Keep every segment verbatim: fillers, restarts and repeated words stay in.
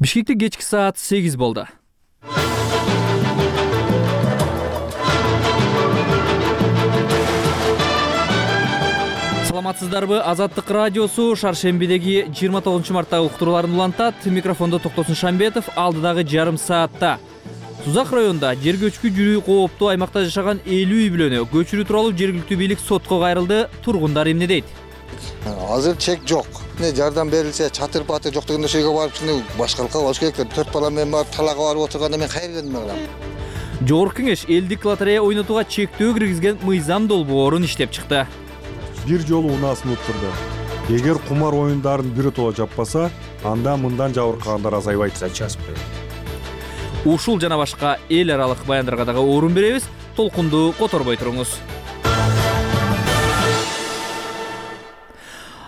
Бишкекте кечки саат сегиз болду. Саламатсыздарбы? Азаттык радиосу шаршембидеги жыйырма тогузунчу марттагы уктурууларын улантат. Микрофондо Токтосун Шамбетов. Алдыдагы жарым саатта Сузак районунда жер көчкү жүрүү кооптуу аймакта жашаган элүү үй бүлөнү көчүрүү тууралуу жергиликтүү бийлик сотко кайрылды. Тургундар эмне дейт? Азыр чек жок. Не жардам берилсе, чатыр батыр жок деген нерсеге барып, башкалыкка болуш керек. төрт бала менен барып талага барып отурганда мен кайра келдим алам. Жогорку кеңеш элдик лотерея ойнотууга чектөө киргизген мыйзам долбоорун иштеп чыкты. Бир жолу унаасын уктурду. Эгер кумар оюндарын биротоло жаппаса, анда мындан жабыркагандар азайбайт. Ушул жана башка эл аралык баяндарга дагы орун беребиз. Толкунду которбой туруңуз.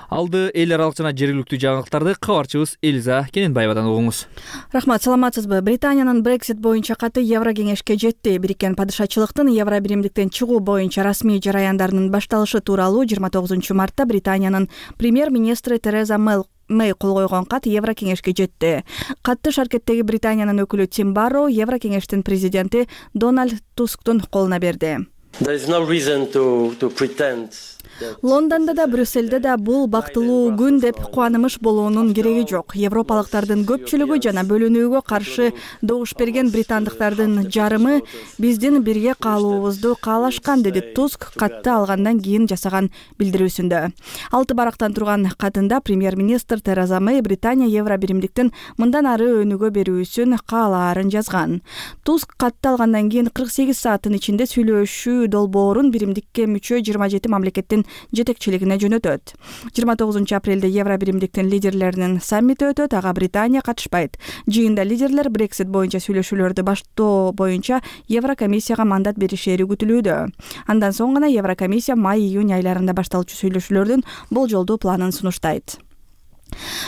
Алды эл аралык жана жергиликтүү жаңылыктарды кабарчыбыз Элиза Кененбаевадан угуңуз. Рахмат, саламатсызбы? Британиянын Brexit боюнча каты Еврокеңешке жетти. Бириккен падышачылыктын Евро биримдиктен чыгуу боюнча расмий жараяндарынын башталышы тууралуу жыйырма тогузунчу мартта Британиянын премьер-министри Тереза Мэй кол койгон кат Еврокеңешке жетти. Катты шаркеттеги Британиянын өкүлү Тим Барроу Еврокеңештин президенти Дональд Тусктун колуна берди. Лондондо да, Брюсселде да бул бактылуу күн деп кубанымыш болуунун кереги жок. Европалыктардын көпчүлүгү жана бөлүнүүгө каршы добуш берген британдыктардын жарымы биздин бирге калуубузду каалашкан, деди Туск катты алгандан кийин жасаган билдирүүсүндө. Алты барактан турган катында премьер-министр Тереза Мэй Британия Евро биримдиктин мындан ары өнүгө берүүсүн каалаарын жазган. Туск катты алгандан кийин кырк сегиз сааттын ичинде сүйлөшүү долбоорун биримдикке мүчө жыйырма жети мамлекеттин жетекчилигине жөнөтөт. жыйырма тогузунчу апрелде Евро биримдиктин лидерлеринин саммити өтөт, ага Британия катышпайт. Жыйында лидерлер Brexit боюнча сүйлөшүүлөрдү баштоо боюнча Еврокомиссияга мандат беришери күтүлүүдө. Андан соң гана Еврокомиссия май-июнь айларында башталчу сүйлөшүүлөрдүн болжолдуу планын сунуштайт.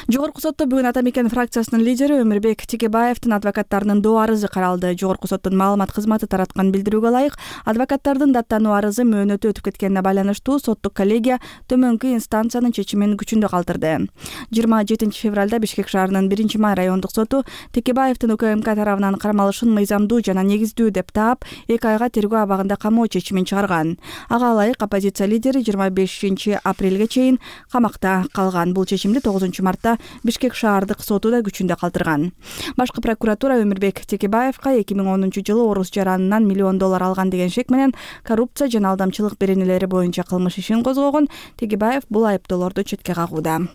Жогорку сотто бүгүн Ата Мекен фракциясынын лидери Өмүрбек Текебаевдин адвокаттарынын доо арызы каралды. Жогорку соттун маалымат кызматы тараткан билдирүүгө ылайык, адвокаттардын даттануу арызы мөөнөтү өтүп кеткенине байланыштуу соттук коллегия төмөнкү инстанциянын чечимин күчүндө калтырды. жыйырма жетинчи февралда Бишкек шаарынын биринчи май райондук соту Текебаевдин УКМК тарабынан кармалышын мыйзамдуу жана негиздүү деп таап, эки айга тергөө абагында камоо чечимин чыгарган. Ага ылайык оппозиция лидери жыйырма бешинчи апрелге чейин камакта калган. Бул чечимди тогузунчу мартта Бишкек шаардык соту да күчүндө калтырган. Башкы прокуратура Өмүрбек Текебаевка эки миң онунчу жылы орус жаранынан миллион доллар алган деген шек менен коррупция жана алдамчылык беренелери боюнча кылмыш ишин козгогон. Текебаев бул айыптоолорду четке кагууда.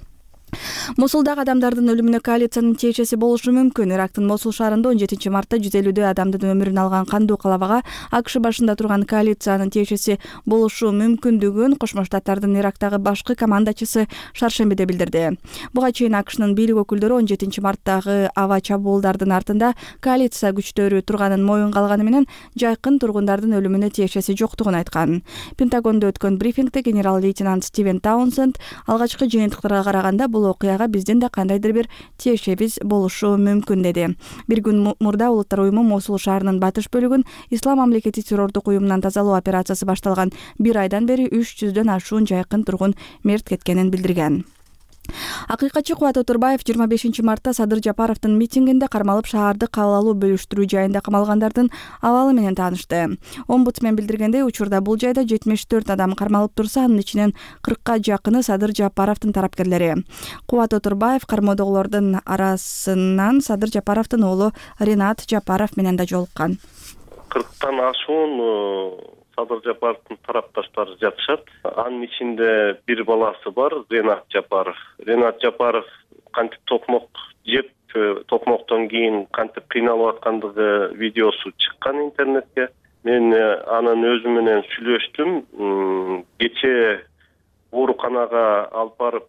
Мосулдагы адамдардын өлүмүнө коалициянын тиешеси болушу мүмкүн. Ирактын Мосул шаарында он жетинчи мартта жүз элүүдөй адамдын өмүрүн алган кандуу калабага АКШ башында турган коалициянын тиешеси болушу мүмкүндүгүн Кошмо Штаттардын Ирактагы башкы командачысы шаршембиде билдирди. Буга чейин АКШнын бийлик өкүлдөрү он жетинчи марттагы аба чабуулдардын артында коалиция күчтөрү турганын моюнга алганы менен жайкын тургундардын өлүмүнө тиешеси жоктугун айткан. Пентагондо өткөн брифингде генерал-лейтенант Стивен Таунсенд алгачкы жыйынтыктарга караганда бул окуяга биздин да кандайдыр бир тиешебиз болушу мүмкүн, деди. Бир күн мурда Улуттар уюму Мосул шаарынын батыш бөлүгүн Ислам мамлекети террордук уюмунан тазалоо операциясы башталган бир айдан бери үч жүздөн ашуун жайкын тургун мерт кеткенин билдирген. Акыйкатчы Кубат Отурбаев жыйырма бешинчи мартта Садыр Жапаровдун митингинде кармалып шаарды кабыл бөлүштүрүү жайында камалгандардын абалы менен таанышты. Омбудсмен билдиргендей, учурда бул жайда жетимиш төрт адам кармалып турса, анын ичинен кыркка жакыны Садыр Жапаровдун тарапкерлери. Кубат Отурбаев кармоодогулордун арасынан Садыр Жапаровдун уулу Ренат Жапаров менен да жолуккан. кырктан ашуун Садыр Жапаровдун тарапташтары жатышат. Анын ичинде бир баласы бар, Ренат Жапаров. Ренат Жапаров кантип токмок жеп, токмоктон кийин кантип кыйналып аткандыгы видеосу чыккан интернетке. Мен анын өзү менен сүйлөштүм. Кечээ ооруканага алып барып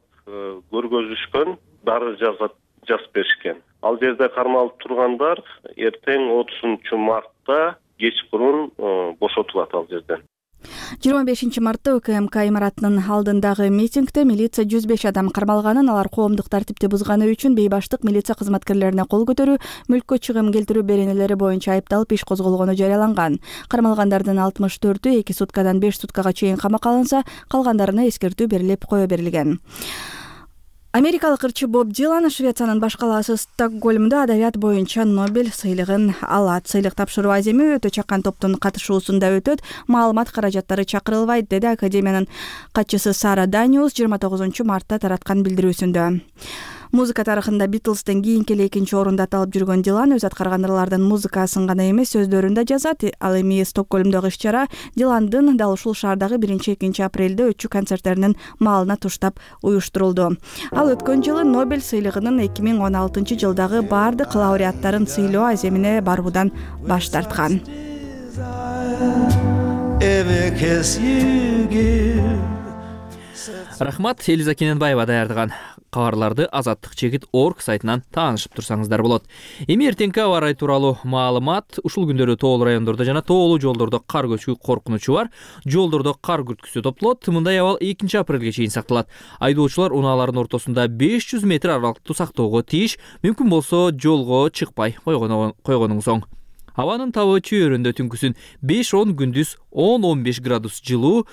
көргөзүшкөн, дары жазып беришкен. Ал жерде кармалып тургандар эртең отузунчу мартта кечкурун бошотулат ал жерден. жыйырма бешинчи мартта УКМК имаратынын алдындагы митингде милиция жүз беш адам кармалганын, алар коомдук тартипти бузганы үчүн бейбаштык милиция кызматкерлерине кол көтөрүү, мүлккө чыгым келтирүү беренелери боюнча айыпталып иш козголгону жарыяланган. Кармалгандардын алтымыш төртү эки суткадан беш суткага чейин камакка алынса, калгандарына эскертүү берилип кое берилген. Америкалык ырчы Боб Дилан Швециянын баш калаасы Стокгольмдо адабият боюнча Нобель сыйлыгын алат. Сыйлык тапшыруу аземи өтө чакан топтун катышуусунда өтөт. Маалымат каражаттары чакырылбайт, деди академиянын катчысы Сара Даниус жыйырма тогузунчу мартта тараткан билдирүүсүндө. Музыка тарыхында Битлстен кийинки эле экинчи орунда аталып жүргөн Дилан өз аткарган ырлардын музыкасын гана эмес, сөздөрүн да жазат. Ал эми Стокгольмдогу иш-чара Диландын дал ушул шаардагы биринчи экинчи апрелде өтчү концерттеринин маалына туштап уюштурулду. Ал өткөн жылы Нобель сыйлыгынын эки миң он алтынчы жылдагы бардык лауреаттарын сыйлоо аземине баруудан баш тарткан. Рахмат, Элиза Кененбаева даярдаган кабарларды азаттык чекит орг сайтынан таанышып турсаңыздар болот. Эми эртеңки аба ырайы тууралуу маалымат. Ушул күндөрү тоолуу райондордо жана тоолуу жолдордо кар көчкү коркунучу бар. Жолдордо кар күрткүсү топтолот. Мындай абал экинчи апрелге чейин сакталат. Айдоочулар унаалардын ортосунда беш жүз метр аралыкты сактоого тийиш. Мүмкүн болсо жолго чыкпай койгонуңуз оң. Абанын табы чөйрөндө түнкүсүн беш он, күндүз он он беш градус жылуу.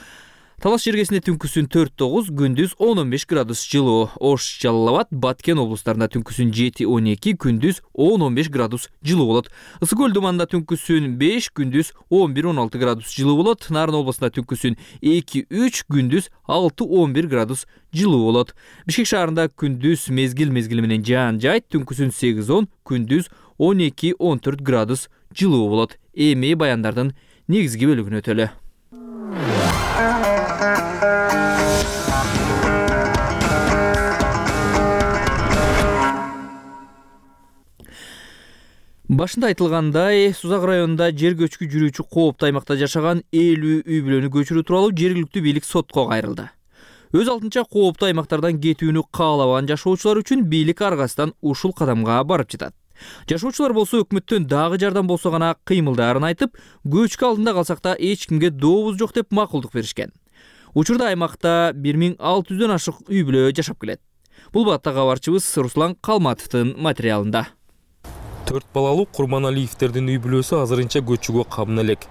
Талаш жергесинде түнкүсүн төрт тогуз, күндүз он он беш градус жылуу. Ош, Жалал Абад, Баткен облустарында түнкүсүн жети он эки, күндүз он он беш градус жылуу болот. Ысык көл думанда түнкүсүн беш, күндүз он бир он алты градус жылуу болот. Нарын областында түнкүсүн эки үч, күндүз алты он бир градус жылуу болот. Бишкек шаарында күндүз мезгил мезгили менен жаан жайт, түнкүсүн сегиз он, күндүз он эки он төрт градус жылуу болот. Эми баяндардын негизги бөлүгүнө өтөлү. Башында айтылгандай, Сузак районунда жер көчкү жүрүүчү кооптуу аймакта жашаган элүү үй бүлөнү көчүрүү тууралуу жергиликтүү бийлик сотко кайрылды. Өз алтынча кооптуу аймактардан кетүүнү каалабаган жашоочулар үчүн бийлик аргасынан ушул кадамга барып жатат. Жашоочулар болсо өкмөттөн дагы жардам болсо гана кыймылдаарын айтып, көчкү алдында калсак да эч кимге дообуз жок деп макулдук беришкен. Учурда аймакта бир миң алты жүздөн ашык үй бүлө жашап келет. Бул баатта кабарчыбыз Руслан Калматовдун материалында. Төрт балалуу Курманалиевтердин үй бүлөсү азырынча көчүүгө кабын элек.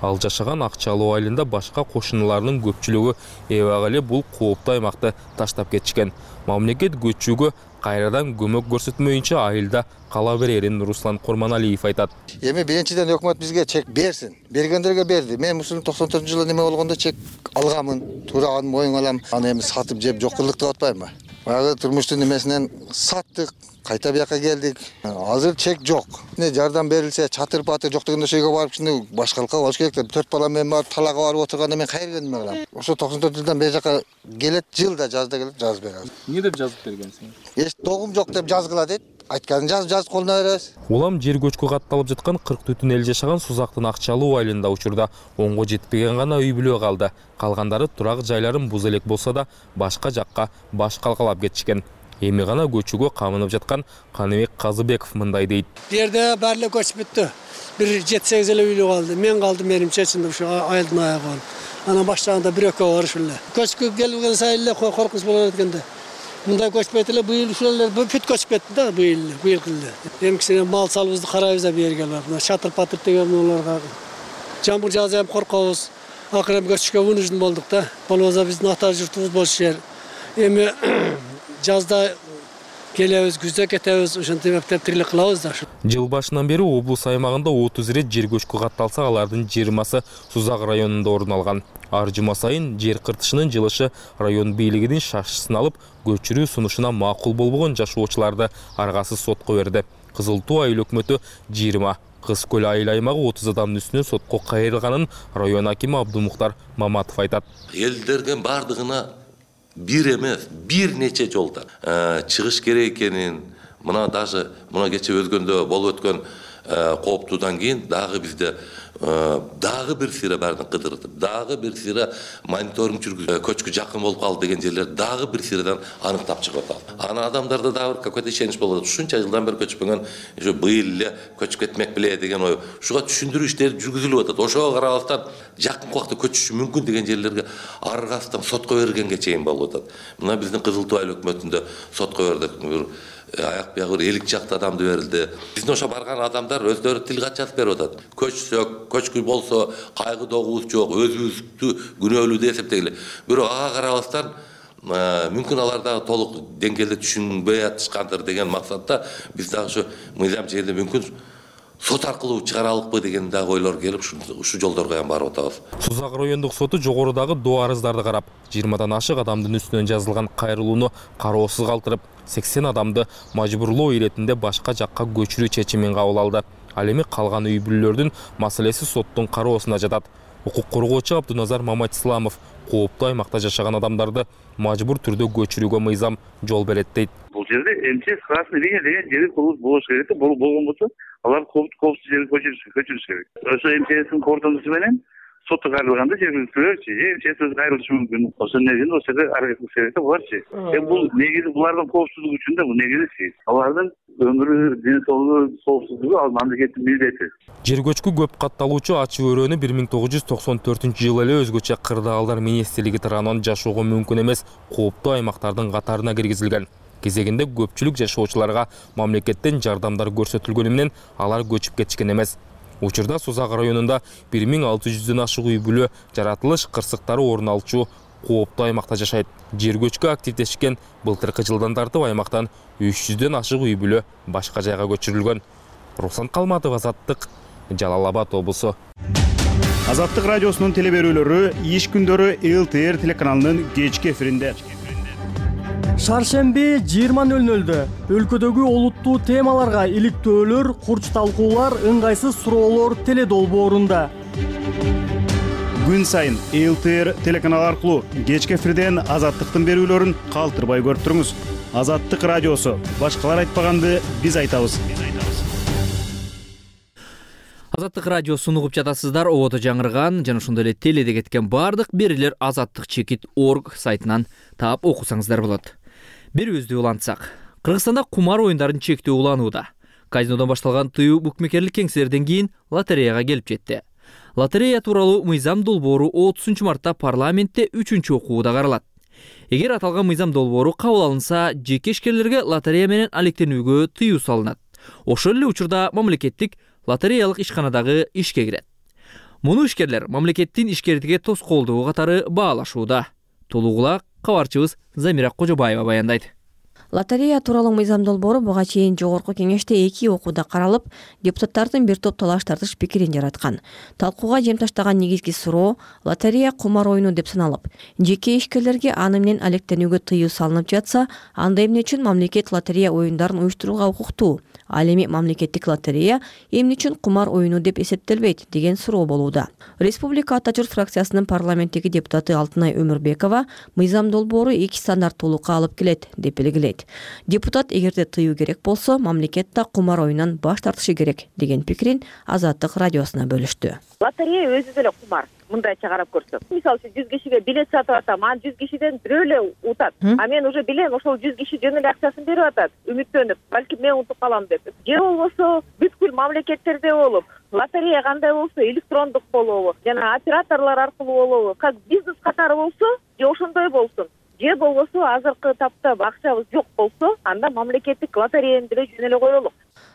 Ал жашаган Акчалуу айылында башка кошуналарынын көпчүлүгү эбак эле бул кооптуу аймакты таштап кетишкен. Мамлекет көчүүгө кайрадан көмөк көрсөтмөйүнчө айылда кала берерин Руслан Курманалиев айтат. Эми биринчиден өкмөт бизге чек берсин. Бергендерге берди. Мен ушул токсон төртүнчү жылы неме болгондо чек алганмын, туураган моюнга алам. Аны эми сатып жеп жоккурлук деп атпайбы? Баягы турмуштун немесинен саттык, кайта бияка келдик. Азыр чек жок. Не жардам берилсе, чатыр патыр жок дегенде ошойго барып чын башкалыкка болуш керек. Төрт бала менен барып талага барып отурганда мен кайра неме кылам? Ошо токсон төрт жылдан бери жака келет, жылда жазда келип жазып берет. Эмне деп жазып бергенсиң? Эч догум жок деп жазгыла дейт. Айтканын жазып жазып колуна беребиз. Улам жер көчкү катталып жаткан кырк түтүн эл жашаган Сузактын Акчалуу айылында учурда онго жетпеген гана үй бүлө калды. Калгандары турак жайларын буз элек болсо да башка жакка баш калкалап кетишкен. Эми гана көчүүгө камынып жаткан Каныбек Казыбеков мындай дейт. Бу жерде баары көчүп бүттү. Бир жети сегиз эле үйлүү калды. Мен калдым, менимче чын ушу айылдын аягы. Анан баштаганда бир экөө бар ушул эле. Көчкү келген сайын эле коркунуч болот эткенде. Мындай көчпөйт эле, быйыл ушул эле бүт көчүп кетти да быйыл, быйыл эле. Эмкисинен мал салыбызды карайбыз да бу жерге барып. Мына чатыр патыр деген буларга жамбыр жааса эми коркобуз. Акыры көчүшкө вынужден болдук да. Болбосо биздин ата журтубуз бош жер. Эми жазда келебиз, күздө кетебиз, ошентип эптеп тирилик кылабыз да. Жыл башынан бери облус аймагында отуз ирет жер көчкү катталса, алардын жыйырмасы Сузак районунда орун алган. Ар жума сайын жер кыртышынын жылышы район бийлигинин шашысын алып, көчүрүү сунушуна макул болбогон жашоочуларды аргасыз сотко берди. Кызыл Туу айыл өкмөтү жыйырма, Кыз көл айыл аймагы отуз адамдын үстүнөн сотко кайрылганын район акими Абдумуктар Маматов айтат. Элдердин бардыгына бир эмес, бир нече жолдо чыгыш керек экенин, мына даже мына кече өзгөндө болуп өткөн кооптуудан кийин дагы бизде дагы бир сыйра баарын кыдырдып, дагы бир сыйра мониторинг жүргүзүп, көчкү жакын болуп калды деген жерлер дагы бир сыйрадан аныктап чыгып атат. Ана адамдарда дагы бир какой-то ишенич болот. Ушунча жылдан бери көчпөгөн, ушу быйыл эле көчүп кетмек беле деген ой. Ушуга түшүндүрүү иштери жүргүзүлүп атат. Ошого карабастан жакын убакта көчүшү мүмкүн деген жерлерге аргасынан сотко бергенге чейин болуп атат. Мына биздин Кызыл Туу айыл өкмөтүндө сотко бердик. Аяк биягы бир элүү жакты адамды берилди. Биздин ошо барган адамдар өздөрү тил кат жазып берип атат. Көчсөк, көчкү болсо кайгы догубуз жок, өзүбүздү күнөөлүү деп эсептегиле. Бирок ага карабастан мүмкүн алар дагы толук деңгээлде түшүнбөй атышкандыр деген максатта биз дагы ушу мыйзам жерде мүмкүн сот аркылуу чыгаралыкпы деген дагы ойлор келип ушул жолдорго эми барып атабыз. Сузак райондук соту жогорудагы доо арыздарды карап, жыйырмадан ашык адамдын үстүнөн жазылган кайрылууну кароосуз калтырып, сексен адамды мажбурлоо иретинде башка жакка көчүрүү чечимин кабыл алды. Ал эми калган үй бүлөлөрдүн маселеси соттун кароосуна жатат. Укук коргоочу Абдуназар Маматисламов кооптуу аймакта жашаган адамдарды мажбур түрдө көчүрүүгө мыйзам жол берет дейт. Бул жерде МЧС красный линия деген жери болуш керек да, болгон болсо алар коопсуз жерге көчүрүш керек. Ошо МЧСтин кордонусу менен сотто кайрылганда жергиликтүүлөрчү же МЧС өзү кайрылышы мүмкүн. Ошол негизинде ошол жерде аракет кылыш керек да буларчы. Эми бул негизи булардын коопсуздугу үчүн да, бул негизи алардын өмүрү, ден соолугу, коопсуздугу ал мамлекеттин милдети. Жер көчкү көп катталуучу ачы өрөөнү бир миң тогуз жүз токсон төртүнчү жылы эле өзгөчө кырдаалдар министрлиги тарабынан жашоого мүмкүн эмес кооптуу аймактардын катарына киргизилген. Кезегинде көпчүлүк жашоочуларга мамлекеттен жардамдар көрсөтүлгөнү менен алар көчүп кетишкен эмес. Учурда Сузак районунда бир миң алты жүздөн ашык үй бүлө жаратылыш кырсыктары орун алчу кооптуу аймакта жашайт. Жер көчкү активдешкен былтыркы жылдан тартып аймактан үч жүздөн ашык үй бүлө башка жайга көчүрүлгөн. Руслан Калматов, Азаттык, Жалал Абад облусу. Азаттык радиосунун телеберүүлөрү иш күндөрү эл тэ эр телеканалынын кечки эфиринде. Шаршемби жыйырма нөл нөлдө өлкөдөгү олуттуу темаларга иликтөөлөр, курч талкуулар, ыңгайсыз суроолор теле долбоорунда. Күн сайын эл тэ эр телеканалы аркылуу кечки эфирден Азаттыктын берүүлөрүн калтырбай көрүп туруңуз. Азаттык радиосу. Башкалар айтпаганды биз айтабыз. Азаттык радиосун угуп жатасыздар. Ободо жаңырган жана ошондой эле теледе кеткен бардык берүүлөр азаттык чекит точка орг сайтынан таап окусаңыздар болот. Берүүбүздү улантсак, Кыргызстанда кумар оюндарын чектөө уланууда. Казинодон башталган тыюу букмекерлик кеңселерден кийин лотереяга келип жетти. Лотерея тууралуу мыйзам долбоору отузунчу мартта парламентте үчүнчү окууда каралат. Эгер аталган мыйзам долбоору кабыл алынса, жеке ишкерлерге лотерея менен алектенүүгө тыюу салынат. Ошол эле учурда мамлекеттик лотереялык ишканадагы ишке кирет. Муну ишкерлер мамлекеттин ишкердиге тоскоолдугу катары баалашууда. Толугулак кабарчыбыз Замира Кожобаева баяндайт. Лотерея тууралуу мыйзам долбоору буга чейин жогорку кеңеште эки окууда каралып, депутаттардын бир топ талаш тартыш пикирин жараткан. Талкууга жем таштаган негизги суроо лотерея кумар оюну деп саналып, жеке ишкерлерге аны менен алектенүүгө тыюу салынып жатса, анда эмне үчүн мамлекет лотерея оюндарын уюштурууга укуктуу? Ал эми мамлекеттик лотерея эмне үчүн кумар оюну деп эсептелбейт деген суроо болууда. Республика Ата журт фракциясынын парламенттеги депутаты Алтынай Өмүрбекова мыйзам долбоору эки стандарттуулукка алып келет деп белгилейт. Депутат эгерде тыюу керек болсо, мамлекет да кумар оюнан баш тартышы керек деген пикирин Азаттык радиосуна бөлүштү. Лотерея өзү деле кумар. Мындайча карап көрсөк, мисалы үчүн жүз кишиге билет сатып атам, анан жүз кишиден бирөө эле утат. А мен уже билем, ошол жүз киши жөн эле акчасын берип атат, үмүттөнүп, балки мен утуп калам деп. Же болбосо бүткүл мамлекеттерде болуп, лотерея кандай болсо электрондук болобу, жана операторлор аркылуу болобу, как бизнес катары болсо, же ошондой болсун. Же болбосо азыркы тапта акчабыз жок болсо, анда мамлекеттик лотереяны деле жөн эле коелук.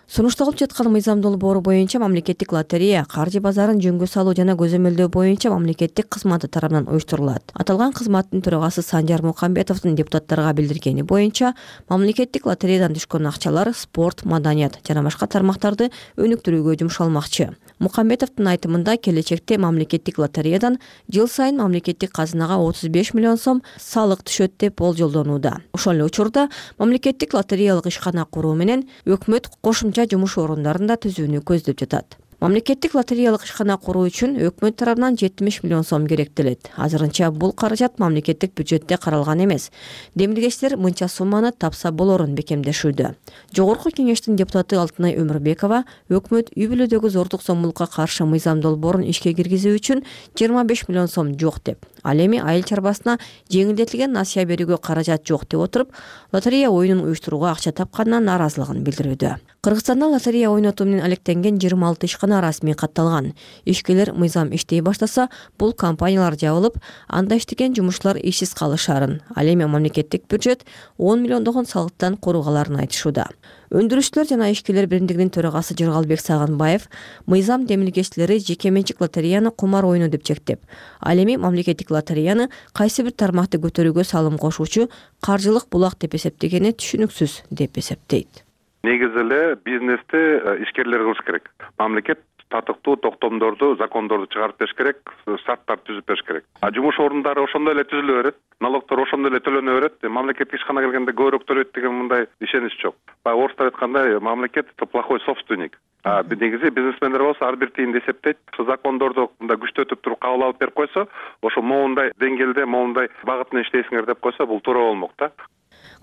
Сунушталып жаткан мыйзам долбоору боюнча мамлекеттик лотерея каржы базарын жөнгө салуу жана көзөмөлдөө боюнча мамлекеттик кызматы тарабынан уюштурулат. Аталган кызматтын төрагасы Санжар Мукамбетовдун депутаттарга билдиргени боюнча, мамлекеттик лотереядан түшкөн акчалар спорт, маданият жана башка тармактарды өнүктүрүүгө жумшалмакчы. Мукамбетовдун айтымында келечекте мамлекеттик лотереядан жыл сайын мамлекеттик казынага отуз беш миллион сом салык түшөт деп болжолдонууда. Ошол эле учурда мамлекеттик лотереялык ишкана куруу менен өкмөт кошумча жумуш орундарын да түзүүнү көздөп жатат. Мамлекеттик лотереялык ишкана куруу үчүн өкмөт тарабынан жетимиш миллион сом керектелет. Азырынча бул каражат мамлекеттик бюджетте каралган эмес. Демилгечтер мынча сумманы тапса болорун бекемдешүүдө. Жогорку кеңештин депутаты Алтынай Өмүрбекова өкмөт үй бүлөдөгү зордук зомбулукка каршы мыйзам долбоорун ишке киргизүү үчүн жыйырма беш миллион сом жок деп, ал эми айыл чарбасына жеңилдетилген насыя берүүгө каражат жок деп отуруп, лотерея оюнун уюштурууга акча тапканына нааразылыгын билдирүүдө. Кыргызстанда лотерея ойнотуу менен алектенген жыйырма алты ишкана гана расмий катталган. Ишкерлер мыйзам иштей баштаса, бул компаниялар жабылып, анда иштеген жумушчулар ишсиз калышарын, ал эми мамлекеттик бюджет он миллиондогон салыктан коругаларын айтышууда. Өндүрүшчүлөр жана ишкерлер биримдигинин төрагасы Жыргалбек Сагынбаев мыйзам демилгечилери жеке менчик лотереяны кумар оюну деп чектеп, ал эми мамлекеттик лотереяны кайсы бир тармакты көтөрүүгө салым кошуучу каржылык булак деп эсептегени түшүнүксүз деп эсептейт. Негизи эле бизнести ишкерлер кылыш керек. Мамлекет татыктуу токтомдорду, закондорду чыгарып бериш керек, шарттарды түзүп бериш керек. А жумуш орундары ошондой эле түзүлө берет, налогдор ошондой эле төлөнө берет. Мамлекетке ишкана келгенде көбүрөөк төлөйт деген мындай ишенич жок. Баягы орустар айткандай, мамлекет плохой собственник. А негизи бизнесмендер болсо ар бир тиынды эсептейт. Закондорду мындай күчтөтүп туруп кабыл алып берип койсо, ошо моундай деңгээлде, моундай багытын иштейсиңер деп койсо, бул туура болмок да.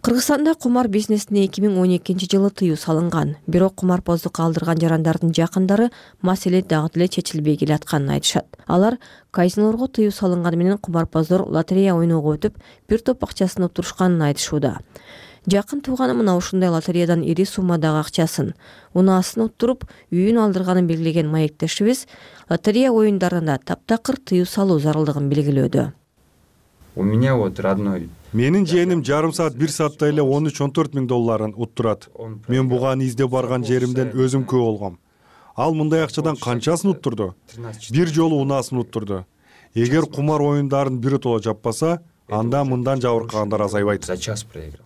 Кыргызстанда кумар бизнесине эки миң он экинчи жылы тыюу салынган. Бирок кумарбоздук калтырган жарандардын жакындары маселе дагы деле чечилбей келатканын айтышат. Алар казинолорго тыюу салынганы менен кумарбоздор лотерея ойноого өтүп, бир топ акчасын уптурушканын айтышууда. Жакын тууганы мына ушундай лотереядан ири суммадагы акчасын, унаасын уттуруп, үйүн алдырганын белгилеген маектешибиз лотерея оюндарында таптакыр тыюу салуу зарылдыгын белгилөөдө. У меня вот родной Менин жээним жарым саат бир саатта эле он үч он төрт миң долларын уттурат. Мен буга издеп барган жеримден өзүм күбө болгом. Ал мындай акчадан канчасын уттурду? Бир жолу унаасын уттурду. Эгер кумар оюндарын биротоло жаппаса, анда мындан жабыркагандар азайбайт. За час проиграл.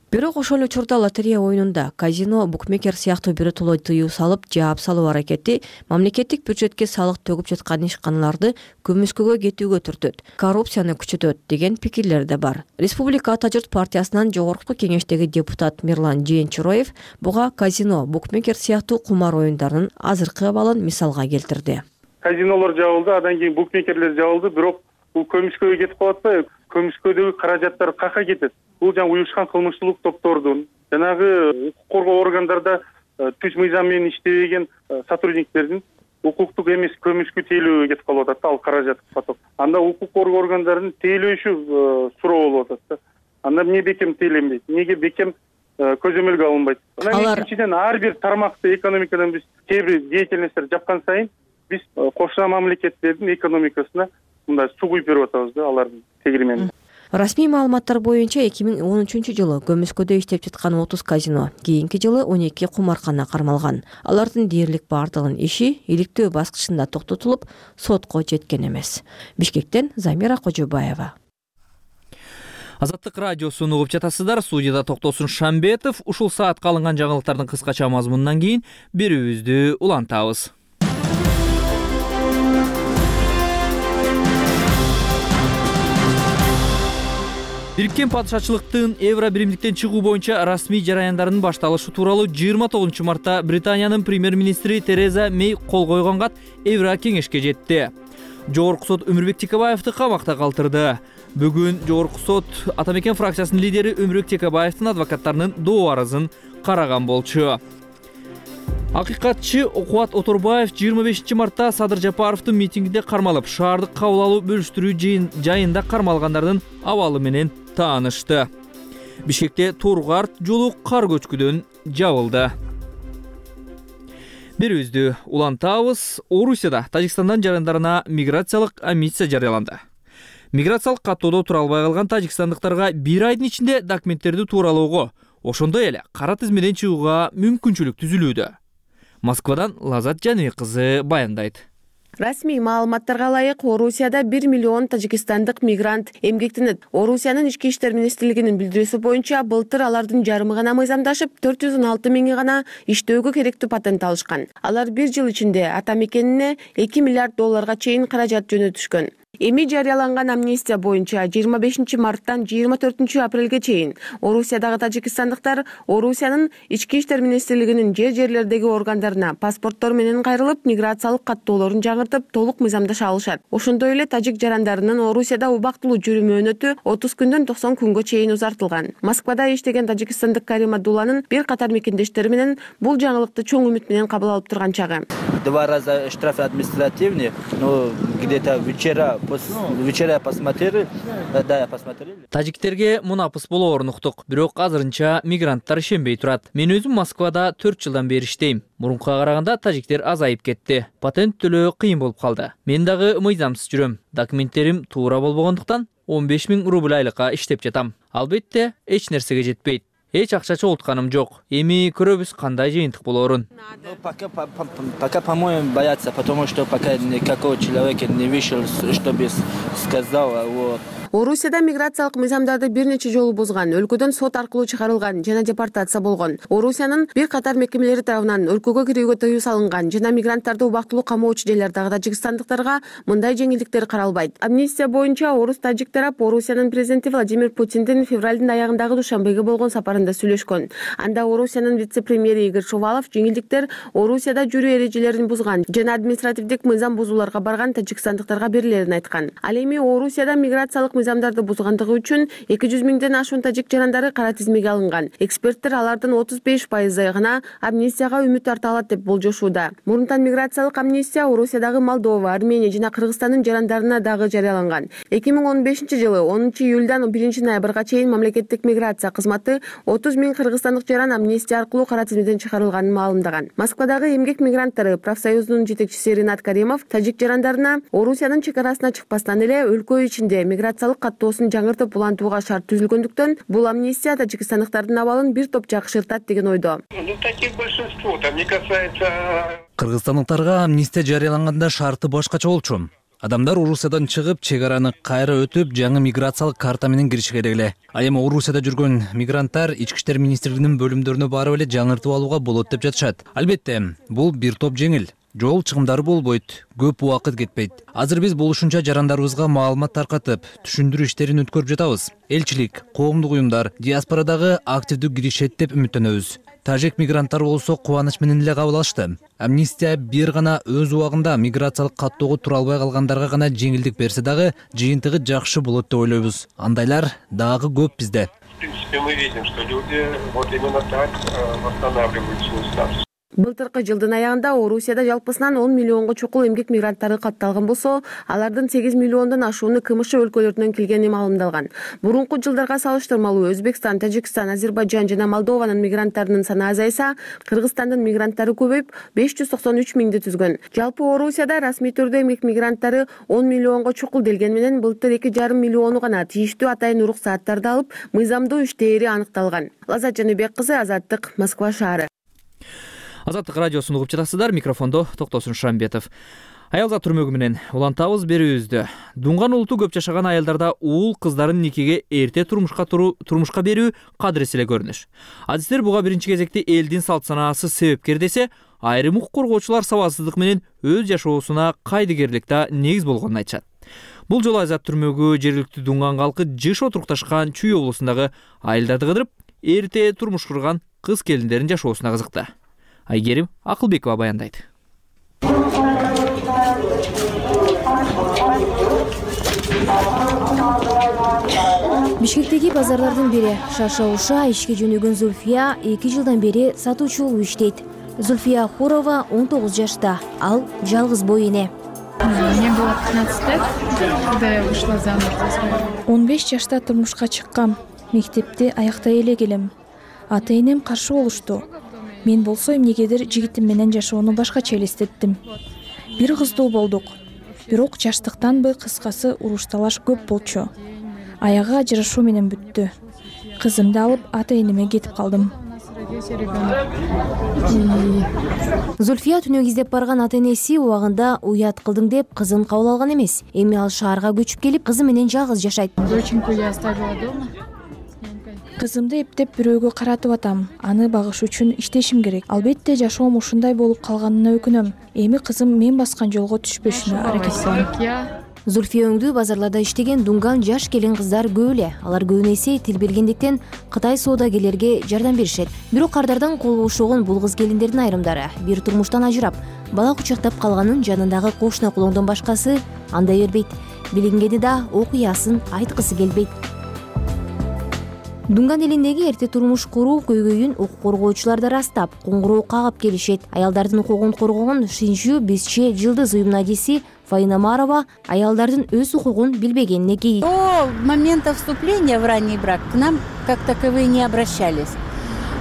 Бирок ошол учурда лотерея оюнунда казино, букмекер сыяктуу биротоло тыюу салып, жаап салуу аракети мамлекеттик бюджетке салык төгүп жаткан ишканаларды көмүскөгө кетүүгө түртөт, коррупцияны күчөтөт деген пикирлер да бар. Республика Ата журт партиясынан жогорку кеңештеги депутат Мирлан Жээнчуроев буга казино, букмекер сыяктуу кумар оюндарынын азыркы абалын мисалга келтирди. Казинолор жабылды, андан кийин букмекерлер жабылды, бирок бул көмүскөгө кетип калат атпайбы? Көмүскөдөгү каражаттар кака кетет? Бул жана уюшкан кылмыштуулук топтордун, жанагы укук коргоо органдарда түз мыйзам менен иштебеген сотрудниктердин укуктук эмес көмүскө тейлөөгө кетип калып атат да, ал каражат поток. Анда укук коргоо органдарынын тейлөөшү суроо болуп атат да. Анда эмне бекем тейлөнбөйт? Эмнеге бекем көзөмөлгө алынбайт? Анан экинчиден ар бир тармакты экономикадан биз кээ бир деятельностьтер жапкан сайын биз кошуна мамлекеттердин экономикасына мындай суу куюп берип атабыз да, алардын тегеремени. Расмий маалыматтар боюнча эки миң он үчүнчү жылы көмүскөдө иштеп жаткан отуз казино, кийинки жылы он эки кумаркана кармалган. Алардын дээрлик бардыгынын иши иликтөө баскычында токтотулуп, сотко жеткен эмес. Бишкектен Замира Кожобаева. Азаттык радиосун угуп жатасыздар. Студияда Токтосун Шамбетов. Ушул саатка алынган жаңылыктардын кыскача мазмунунан кийин берүүбүздү улантабыз. Бириккен падышачылыктын евро биримдиктен чыгуу боюнча расмий жараяндарынын башталышы тууралуу жыйырма тогузунчу мартта Британиянын премьер-министри Тереза Мэй кол койгонга Евро кеңешке жетти. Жогорку сот Өмүрбек Текебаевди камакта калтырды. Бүгүн Жогорку сот Атамекен фракциясынын лидери Өмүрбек Текебаевдин адвокаттарынын доо арызын караган болчу. Акыйкатчы Кубат Оторбаев жыйырма бешинчи мартта Садыр Жапаровдун митингинде кармалып, шаардык кабыл алуу бөлүштүрүү жайында кармалгандардын абалы менен таанышты. Бишкекте Тургарт жолу кар көчкүдөн жабылды. Берүүбүздү улантабыз. Орусияда Тажикстандан жарандарына миграциялык амнистия жарыяланды. Миграциялык каттоодо тура албай калган тажикстандыктарга бир айдын ичинде документтерди тууралоого, ошондой эле кара тизмеден чыгууга мүмкүнчүлүк түзүлүүдө. Москвадан Лазат Жаныбек кызы баяндайт. Расмий маалыматтарга ылайык, Орусияда бир миллион тажикстандык мигрант эмгектенет. Орусиянын ички иштер министрлигинин билдирүүсү боюнча, былтыр алардын жарымы гана мыйзамдашып, төрт жүз он алты миңи гана иштөөгө керектүү патент алышкан. Алар бир жыл ичинде атамекенине эки миллиард долларга чейин каражат жөнөтүшкөн. Эми жарыяланган амнистия боюнча жыйырма бешинчи марттан жыйырма төртүнчү апрелге чейин Орусиядагы тажикстандыктар Орусиянын ички иштер министрлигинин жер жерлердеги органдарына паспорттор менен кайрылып, миграциялык каттоолорун жаңыртып, толук мыйзамдаша алышат. Ошондой эле тажик жарандарынын Орусияда убактылуу жүрүү мөөнөтү отуз күндөн токсон күнгө чейин узартылган. Москвада иштеген тажикстандык Карим Абдулланын бир катар мекендештери менен бул жаңылыкты чоң үмүт менен кабыл алып турган чагы. Два раза штраф административный, но где-то вчера Вечера я посмотрел, да, я посмотрел. Тажиктерге мунапыс болоорун уктук, бирок азырынча мигранттар ишенбей турат. Мен өзүм Москвада төрт жылдан бери иштейм. Мурункуга караганда тажиктер азайып кетти. Патент төлөө кыйын болуп калды. Мен дагы мыйзамсыз жүрөм. Документтерим туура болбогондуктан он беш миң рубль айлыкка иштеп жатам. Албетте, эч нерсеге жетпейт. Эч акча чогултканым жок. Эми көрөбүз кандай жыйынтык болоорун. Пока, пока, по-моему, боятся, потому что пока никакого человека не вышел, чтобы сказал, вот. Орусияда миграциялык мыйзамдарды бир нече жолу бузган, өлкөдөн сот аркылуу чыгарылган жана депортация болгон. Орусиянын бир катар мекемелери тарабынан өлкөгө кирүүгө тыюу салынган жана мигранттарды убактылуу камоочу жерлердагы тажикстандыктарга мындай жеңилдиктер каралбайт. Амнистия боюнча орус-тажик тарап Орусиянын президенти Владимир Путиндин февралдын аягындагы Душанбеге болгон сапарында сүйлөшкөн. Анда Орусиянын вице-премьери Игорь Шувалов жеңилдиктер Орусияда жүрүү эрежелерин бузган жана административдик мыйзам бузууларга барган тажикстандыктарга берилерин айткан. Ал эми Орусияда миграциялык мыйзамдарды бузгандыгы үчүн эки жүз миңден ашуун тажик жарандары кара тизмеге алынган. Эксперттер алардын отуз беш пайызы гана амнистияга үмүт арта алат деп болжошууда. Мурунтан миграциялык амнистия Орусиядагы Молдова, Армения жана Кыргызстандын жарандарына дагы жарыяланган. эки миң он бешинчи жылы онунчу июлдан биринчи ноябрга чейин мамлекеттик миграция кызматы отуз миң кыргызстандык жаран амнистия аркылуу кара тизмеден чыгарылганын маалымдаган. Москвадагы эмгек мигранттары профсоюзунун жетекчиси Ринат Каримов тажик жарандарына Орусиянын чек арасына чыкпастан эле өлкө ичинде миграциялык каттоосун жаңыртып улантууга шарт түзүлгөндүктөн бул амнистия тажикстандыктардын абалын бир топ жакшыртат деген ойдо. Кыргызстандыктарга амнистия жарыяланганда шарты башкача болчу. Адамдар Орусиядан чыгып, чек араны кайра өтүп, жаңы миграциялык карта менен кириши керек эле. А эми Орусияда жүргөн мигранттар Ички иштер министрлигинин бөлүмдөрүнө барып эле жаңыртып алууга болот деп жатышат. Албетте, бул бир топ жеңил. Жол чыгымдары болбойт, көп убакыт кетпейт. Азыр биз болушунча жарандарыбызга маалымат таркатып, түшүндүрүү иштерин өткөрүп жатабыз. Элчилик, коомдук уюмдар диаспорадагы активдүү киришет деп үмүттөнөбүз. Тажик мигранттар болсо кубаныч менен эле кабыл алышты. Амнистия бир гана өз убагында миграциялык каттоого тура албай калгандарга гана жеңилдик берсе дагы, жыйынтыгы жакшы болот деп ойлойбуз. Андайлар дагы көп бизде. В принципе, мы видим, что люди вот именно так восстанавливают свой статус. Былтыркы жылдын аягында Орусияда жалпысынан он миллионго чукул эмгек мигранттары катталган болсо, алардын сегиз миллиондон ашууну КМШ өлкөлөрүнөн келгени маалымдалган. Мурунку жылдарга салыштырмалуу Өзбекстан, Тажикстан, Азербайжан жана Молдованын мигранттарынын саны азайса, Кыргызстандын мигранттары көбөйүп беш жүз токсон үч миңди түзгөн. Жалпы Орусияда расмий түрдө эмгек мигранттары он миллионго чукул делген менен былтыр эки жарым миллиону гана тийиштүү атайын уруксааттарды алып, мыйзамдуу иштери аныкталган. Лазат Жаныбек кызы, Азаттык, Москва шаары. Азаттык радиосун угуп жатасыздар, микрофондо Токтосун Шамбетов. Аялзат түрмөгү менен улантабыз берүүбүздү. Дунган улуту көп жашаган аялдарда уул кыздарын никеге эрте турмушка туруу, турмушка берүү кадырес эле көрүнүш. Адистер буга биринчи кезекте элдин салт санаасы себепкер десе, айрым укук коргоочулар сабатсыздык менен өз жашоосуна кайдыгерликте негиз болгонун айтышат. Бул жолу Азат түрмөгү жергиликтүү дунган калкы жыш отурукташкан Чүй облусундагы айылдарды кыдырып, эрте турмуш курган кыз келиндердин жашоосуна кызыкты. Айгерим Акылбекова баяндайт. Бишкектеги базарлардын бири Шарша-Уша ишке жөнөгөн Зульфия эки жылдан бери сатуучу болуп иштейт. Зульфия Хурова он тогуз жашта, ал жалгыз бой эне. Мне было пятнадцать лет, когда я вышла замуж. он беш жашта турмушка чыккам. Мектепти аяктай эле келем. Ата-энем каршы болушту. Мен болсо эмнегедир жигитим менен жашоону башкача элестеттим. Бир кыздуу болдук. Бирок жаштыктанбы, кыскасы уруш-талаш көп болчу. Аягы ажырашуу менен бүттү. Кызымды алып ата-энеме кетип калдым. Зульфия түнөк издеп барган ата-энеси убагында уят кылдың деп кызын кабыл алган эмес. Эми ал шаарга көчүп келип, кызы менен жалгыз жашайт. Доченьку я оставила дома. Кызымды эптеп бирөөгө каратып атам. Аны багыш үчүн иштешим керек. Албетте жашоом ушундай болуп калганына өкүнөм. Эми кызым мен баскан жолго түшпөшүнө аракет кылам. Зульфия өңдүү базарларда иштеген дунган жаш келин кыздар көп эле. Алар көбүнесе тил билгендиктен Кытай соодагерлерге жардам беришет. Бирок кардардан кол бошогон бул кыз келиндердин айрымдары бир турмуштан ажырап, бала кучактап калганын жанындагы кошуна кулоңдон башкасы андай бербейт. Билингени да окуясын айткысы келбейт. Дунган элиндеги эрте турмуш куруу көйгөйүн укук коргоочулар да растап, коңгуроо кагып келишет. Аялдардын укугун коргогон Шинжүү Бизче Жылдыз уюмунун адиси Фаина Марова аялдардын өз укугун билбегенине кейит. До момента вступления в ранний брак к нам как таковые не обращались.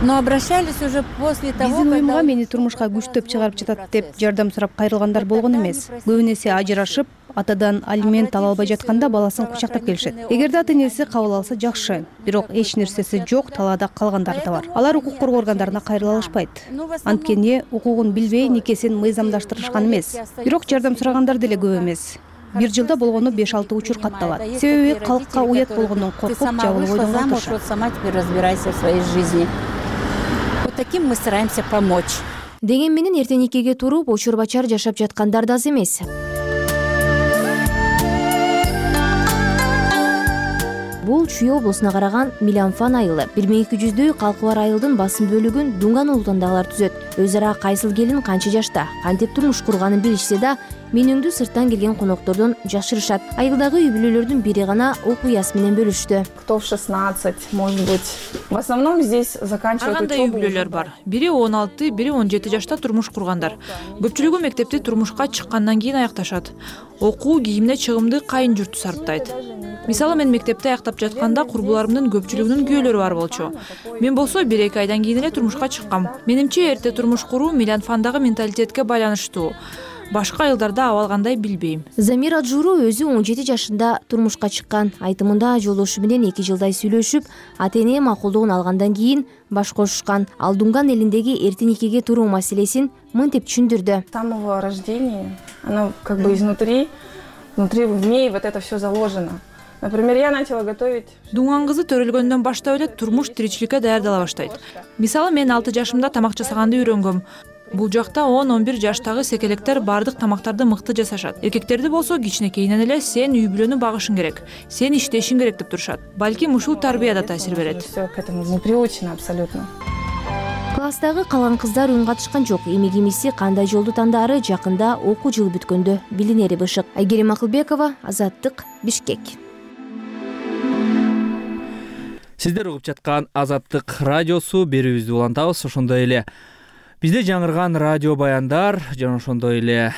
Но обращались уже после того, биздин уюмга мени турмушка күчтөп чыгарып жатат деп жардам сурап кайрылгандар болгон эмес. Көбүн эсе ажырашып, атадан алимент ала албай жатканда баласын кучактап келишет. Эгерде ата энеси кабыл алса жакшы, бирок эч нерсеси жок талаада калгандары да бар. Алар укук коргоо органдарына кайрыла алышпайт. Анткени укугун билбей никесин мыйзамдаштырышкан эмес. Бирок жардам сурагандар деле көп эмес. Бир жылда болгону беш алты учур катталат. Себеби калкка уят болгондон коркуп жабылып ойдонгон турушат. Сама теперь разбирайся в своей жизни. Вот таким мы стараемся помочь. Деген менен эртең никеге туруп, очур-бачар жашап жаткандар да аз эмес. Бул Чүй облусуна караган Миланфан айылы. бир миң эки жүздөй калкы бар айылдын басым бөлүгүн Дунган улутундагылар түзөт. Өз ара кайсыл келин канча жашта, кантип турмуш курганын билишсе да, менүңдү сырттан келген коноктордон жашырышат. Айылдагы үй бүлөлөрдүн бири гана окуясы менен бөлүштү. Кто в шестнадцать, может быть. В основном здесь заканчивают учебу. Ай кандай үй бүлөлөр бар. Бири он алты, бири он жети жашта турмуш кургандар. Көпчүлүгү мектепти турмушка чыккандан кийин аякташат. Окуу, кийимине чыгымды кайын журту сарптайт. Мисалы мен мектепти аяктап жатканда курбуларымдын көпчүлүгүнүн күйөөлөрү бар болчу. Мен болсо бир эки айдан кийин эле турмушка чыккам. Менимче эрте турмуш куруу Миланфандагы менталитетке байланыштуу. Башка айылдарда абалгандай билбейм. Замира Журу өзү он жети жашында турмушка чыккан. Айтымында жолдошу менен эки жылдай сүйлөшүп, ата эне макулдугун алгандан кийин баш кошушкан. Ал Дунган элиндеги эрте никеге туруу маселесин мынтип түшүндүрдү. С самого рождения, оно как бы изнутри, внутри в ней вот это все заложено. Например, я начала готовить. Дунган кызы төрөлгөндөн баштап эле турмуш тиричиликке даярдала баштайт. Мисалы мен алты жашымда тамак жасаганды үйрөнгөм. Бул жакта он он бир жаштагы секелектер бардык тамактарды мыкты жасашат. Эркектерди болсо кичинекейинен эле сен үй бүлөнү багышың керек, сен иштешиң керек деп турушат. Балким ушул тарбия да таасир берет. Всё к этому мы приучены абсолютно. Класстагы калган кыздар үн катышкан жок. Эми кимиси кандай жолду тандаары жакында окуу жылы бүткөндө билинери бышык. Айгерим Акылбекова, Азаттык, Бишкек. Сиздер угуп жаткан Азаттык радиосу берүүбүздү улантабыз. Ошондой эле бизде жаңырган радио баяндар жана ошондой эле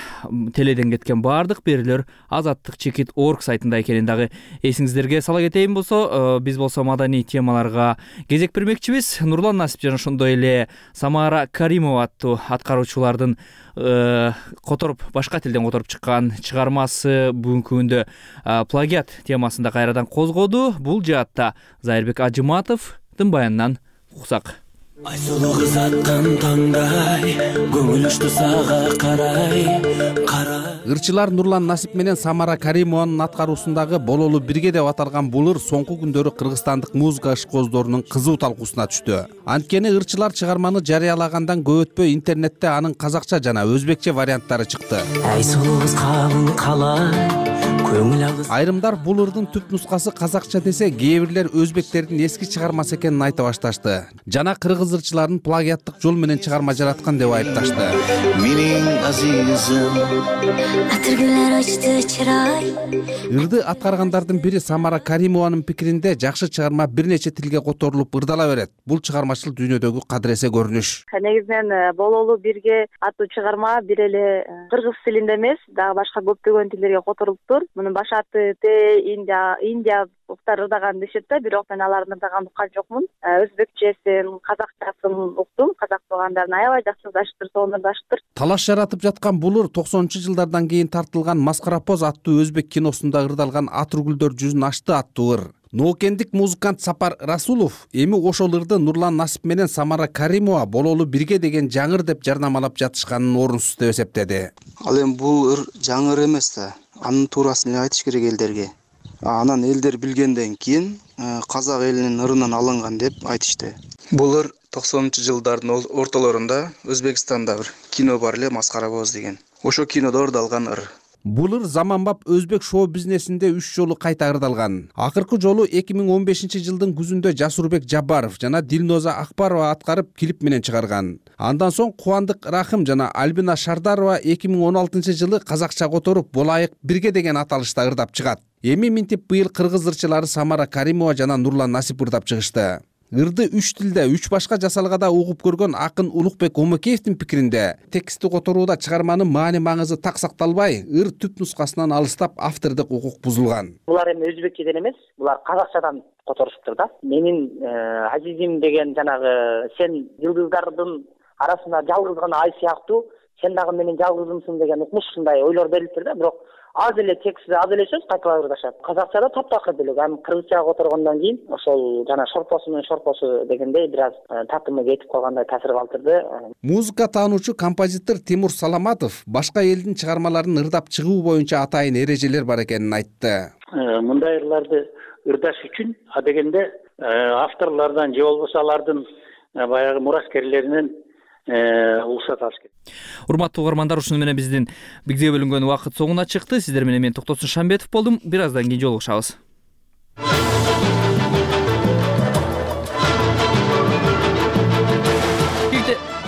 теледен кеткен баардык берүүлөр азаттык чекит точка орг сайтында экенин дагы эсиңиздерге сала кетейин болсо, биз болсо маданий темаларга кезек бермекчибиз. Нурлан Насип жана ошондой эле Самара Каримова аттуу аткаруучулардын которуп башка тилден которуп чыккан чыгармасы бүгүнкү күндө плагиат темасында кайрадан козгоду. Бул жаатта Зайырбек Ажыматовдун баянынан уксак. Айсулуу кыз аттан таңдай, көңүл учту сага карай, карай. Ырчылар Нурлан Насип менен Самара Каримованын аткаруусундагы бололу бирге деп аталган бул ыр соңку күндөрү кыргызстандык музыка ишкоздорунун кызуу талкуусуна түштү. Анткени ырчылар чыгарманы жарыялагандан көп өтпөй интернетте анын казакча жана өзбекче варианттары чыкты. Айсулуу кыз калың калай. Айрымдар бул ырдын түп нускасы казакча десе, кээ бирлер өзбектердин эски чыгармасы экенин айта башташты. Жана кыргыз ырчыларын плагиаттык жол менен чыгарма жараткан деп айыпташты. Менин азизим атыргүлөр ачты чырай. Ырды аткаргандардын бири Самара Каримованын пикиринде жакшы чыгарма бир нече тилге которулуп ырдала берет. Бул чыгармачыл дүйнөдөгү кадыресе көрүнүш. Негизинен бололу бирге аттуу чыгарма бир эле кыргыз тилинде эмес, дагы башка көптөгөн тилдерге которулуптур. Мунун баш аты Те Индия Индия уктар ырдаган дешет да, бирок мен алардын ырдаганын уккан жокмун. Өзбекчесин, казакчасын уктум. Казак туугандарын аябай жакшы ырдаштыр, сонун ырдаштыр. Талаш жаратып жаткан бул ыр токсонунчу жылдардан кийин тартылган Маскарапоз аттуу өзбек киносунда ырдалган Атыргүлдөр жүзүн ачты аттуу ыр. Ноокендик музыкант Сапар Расулов эми ошол ырды Нурлан Насип менен Самара Каримова бололу бирге деген жаңыр деп жарнамалап жатышканын орунсуз деп эсептеди. Ал эми бул ыр жаңыр эмес да. Анын туурасын эле айтыш керек элдерге. Анан элдер билгенден кийин казак элинин ырынан алынган деп айтышты. Бул ыр токсонунчу жылдардын ортолорунда Өзбекстанда бир кино бар эле, Маскарапоз деген. Ошо кинодо ырдалган ыр. Бул ыр заманбап өзбек шоу бизнесинде үч жолу кайта ырдалган. Акыркы жолу эки миң он бешинчи жылдын күзүндө Жасурбек Жабаров жана Дилноза Акбарова аткарып клип менен чыгарган. Андан соң Кубандык Рахым жана Альбина Шардарова эки миң он алтынчы жылы казакча которуп Болайык бирге деген аталышта ырдап чыгат. Эми минтип быйыл кыргыз ырчылары Самара Каримова жана Нурлан Насип ырдап чыгышты. Ырды үч тилде үч башка жасалгада угуп көргөн акын Улукбек Омокеевдин пикиринде текстти которууда чыгарманын маани маңызы так сакталбай, ыр түп нускасынан алыстап автордук укук бузулган. Булар эми өзбекчеден эмес, булар казакчадан которуштур да. Менин азизим деген жанагы сен жылдыздардын арасында жалгыз гана ай сыяктуу, сен дагы менин жалгызымсың деген укмушундай ойлор берилиптир да, бирок аз эле текстти аз эле сөз кайталап ырдашат. Казакчада таптакыр делек, аны кыргызчага которгондон кийин ошол жана шорпосу менен шорпосу дегендей бир аз татымы кетип калгандай таасир калтырды. Музыка таануучу композитор Тимур Саламатов башка элдин чыгармаларын ырдап чыгуу боюнча атайын эрежелер бар экенин айтты. Мындай ырларды ырдаш үчүн а дегенде авторлордон же болбосо алардын баягы мураскерлеринен уруксат алыш керек. Урматтуу угармандар, ушуну менен биздин бизге бөлүнгөн убакыт соңуна чыкты. Сиздер менен мен Токтосун Шамбетов болдум. Бир аздан кийин жолугушабыз.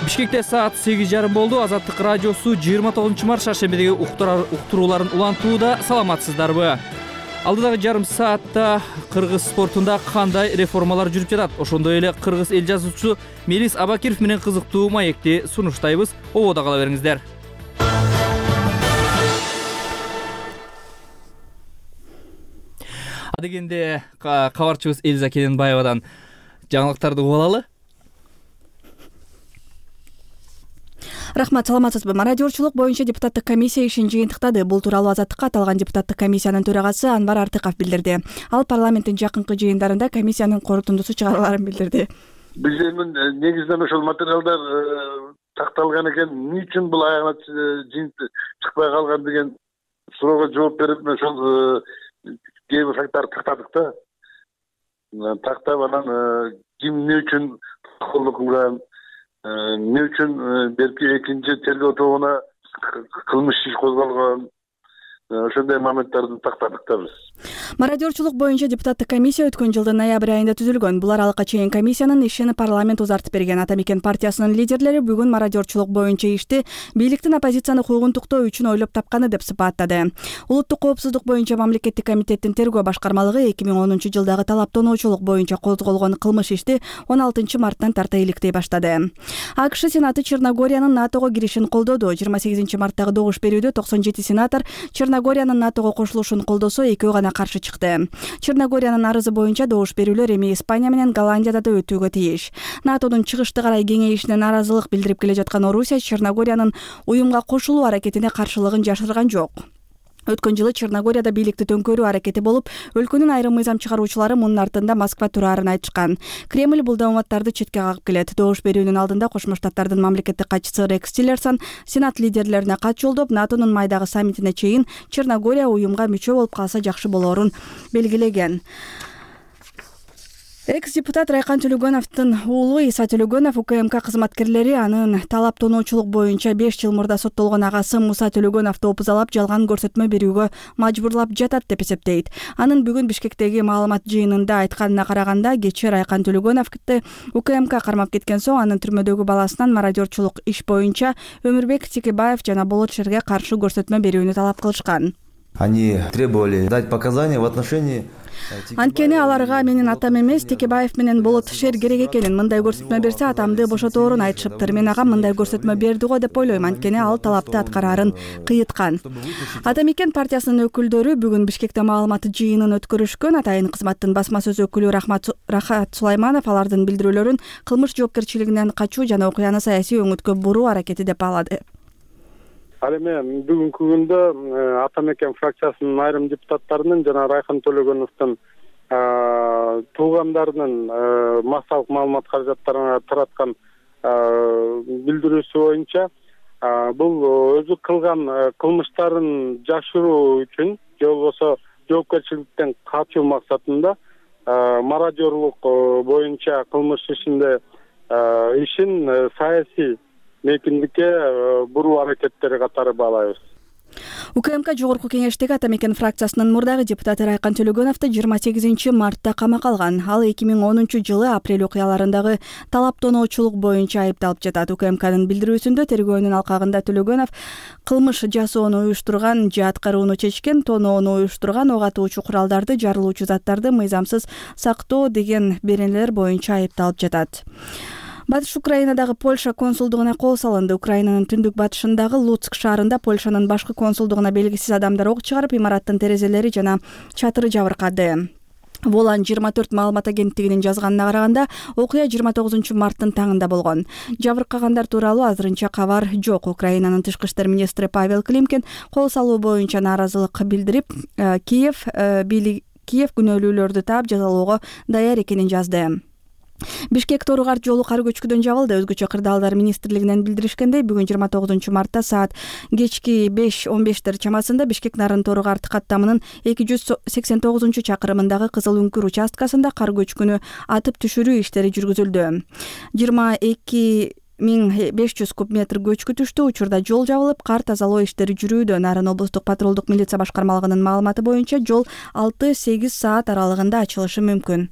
Бишкекте саат сегиз жарым болду. Азаттык радиосу жыйырма тогузунчу март шаршембидеги уктурууларын улантууда. Саламатсыздарбы? Алдыдагы жарым саатта кыргыз спортунда кандай реформалар жүрүп жатат? Ошондой эле кыргыз эл жазуучусу Мелис Абакиров менен кызыктуу маекти сунуштайбыз. Ободо кала бериңиздер. Адегенде кабарчыбыз Элиза Кененбаевадан жаңылыктарды угуп алалы. Рахмат, саламатсызбы? Мародерчулук боюнча депутаттык комиссия ишин жыйынтыктады. Бул тууралуу Азаттыкка аталган депутаттык комиссиянын төрагасы Анвар Артыков билдирди. Ал парламенттин жакынкы жыйындарында комиссиянын корутундусу чыгарыларын билдирди. Биз эми негизинен ошол материалдар такталган экен, эмне үчүн бул аягына жыйынт чыкпай калган деген суроого жооп берип, ошол кээ бир факттарды тактадык да. Тактап анан ким эмне үчүн колдоо кылган, эмне үчүн берки экинчи тергөө тобуна кылмыш иш козголгон, ошондой моменттарды тактадык да биз. Мародерчулук боюнча депутаттык комиссия өткөн жылдын ноябрь айында түзүлгөн. Булар алга чейин комиссиянын ишин парламент узартып берген. Ата Мекен партиясынын лидерлери бүгүн мародерчулук боюнча ишти бийликтин оппозицияны куугунтуктоо үчүн ойлоп тапканы деп сыпаттады. Улуттук коопсуздук боюнча мамлекеттик комитеттин тергөө башкармалыгы эки миң онунчу жылдагы талаптоонуучулук боюнча козголгон кылмыш ишти он алтынчы марттан тарта иликтей баштады. АКШ Сенаты Черногориянын НАТОго киришин колдоду. жыйырма сегизинчи марттагы добуш берүүдө токсон жети сенатор Черногориянын НАТОго кошулушун колдосо, экөө гана каршы чыкты. Черногориянын арызы боюнча добуш берүүлөр эми Испания менен Голландияда да өтүүгө тийиш. НАТОдун чыгышты карай кеңейишине нааразылык билдирип келе жаткан Орусия Черногориянын уюмга кошулуу аракетине каршылыгын жашырган жок. Өткөн жылы Черногорияда бийликти төңкөрүү аракети болуп, өлкөнүн айрым мыйзам чыгаруучулары мунун артында Москва турарын айтышкан. Кремль бул дааматтарды четке кагып келет. Добуш берүүнүн алдында Кошмо Штаттардын мамлекеттик катчысы Рекс Тиллерсон Сенат лидерлерине кат жолдоп, НАТОнун майдагы саммитине чейин Черногория уюмга мүчө болуп калса жакшы болоорун белгилеген. Экс-депутат Райкан Төлөгөновдун уулу Иса Төлөгөнов УКМК кызматкерлери анын талаптоонуучулук боюнча беш жыл мурда соттолгон агасы Муса Төлөгөновду опузалап жалган көрсөтмө берүүгө мажбурлап жатат деп эсептейт. Анын бүгүн Бишкектеги маалымат жыйынында айтканына караганда, кечээ Райкан Төлөгөновду УКМК кармап кеткен соң анын түрмөдөгү баласынан мародерчулук иш боюнча Өмүрбек Тикебаев жана Болот Шерге каршы көрсөтмө берүүнү талап кылышкан. Они требовали дать показания в отношении. Анткени аларга менин атам эмес, Текебаев менен Болот Шер керек экенин, мындай көрсөтмө берсе атамды бошоторун айтышыптыр. Мен агам мындай көрсөтмө берди го деп ойлойм, анткени ал талапты аткараарын кыйыткан. Ата Мекен партиясынын өкүлдөрү бүгүн Бишкекте маалымат жыйынын өткөрүшкөн. Атайын кызматтын басма сөз өкүлү Рахат Сулайманов алардын билдирүүлөрүн кылмыш жоопкерчилигинен качуу жана окуяны саясий өңүткө буруу аракети деп баалады. Ал эми бүгүнкү күндө Ата Мекен фракциясынын айрым депутаттарынын жана Райкан Төлөгөновдун туугандарынын массалык маалымат каражаттарына тараткан билдирүүсү боюнча бул өзү кылган кылмыштарын жашыруу үчүн же болбосо жоопкерчиликтен качуу максатында мародерлук боюнча кылмыш ишинде ишин саясий мейкиндикке буруу аракеттери катары баалайбыз. УКМК жогорку кеңештеги ата мекен фракциясынын мурдагы депутаты Райкан Төлөгөновду жыйырма сегизинчи мартта камакка алган. Ал эки миң онунчу жылы апрель окуяларындагы талап тоноочулук боюнча айыпталып жатат. УКМКнын билдирүүсүндө тергөөнүн алкагында Төлөгөнов кылмыш жасоону уюштурган же аткарууну чечкен, тоноону уюштурган, ок атуучу куралдарды, жарылуучу заттарды мыйзамсыз сактоо деген беренелер боюнча айыпталып жатат. Батыш Украинадагы Польша консулдугуна кол салынды. Украинанын түндүк батышындагы Луцк шаарында Польшанын башкы консулдугуна белгисиз адамдар ок чыгарып, имараттын терезелери жана чатыры жабыркады. Волан жыйырма төрт маалымат агенттигинин жазганына караганда, окуя жыйырма тогузунчу марттын таңында болгон. Жабыркагандар тууралуу азырынча кабар жок. Украинанын тышкы иштер министри Павел Климкин кол салуу боюнча нааразылык билдирип, Киев Киев күнөөлүүлөрдү таап жазалоого даяр экенин жазды. Бишкек Тору-Карт жолу кар көчкүдөн жабылды. Өзгөчө кырдаалдар министрлигинен билдиришкендей, бүгүн жыйырма тогузунчу мартта саат кечки беш он бештер чамасында Бишкек Нарын Тору-Карт каттамынын эки жүз сексен тогузунчу чакырымындагы Кызыл үңкүр участкасында кар көчкүнү атып түшүрүү иштери жүргүзүлдү. жыйырма эки миң беш жүз куб метр көчкү түштү. Учурда жол жабылып, кар тазалоо иштери жүрүүдө. Нарын облустук патрулдук милиция башкармалыгынын маалыматы боюнча жол алты сегиз саат аралыгында ачылышы мүмкүн.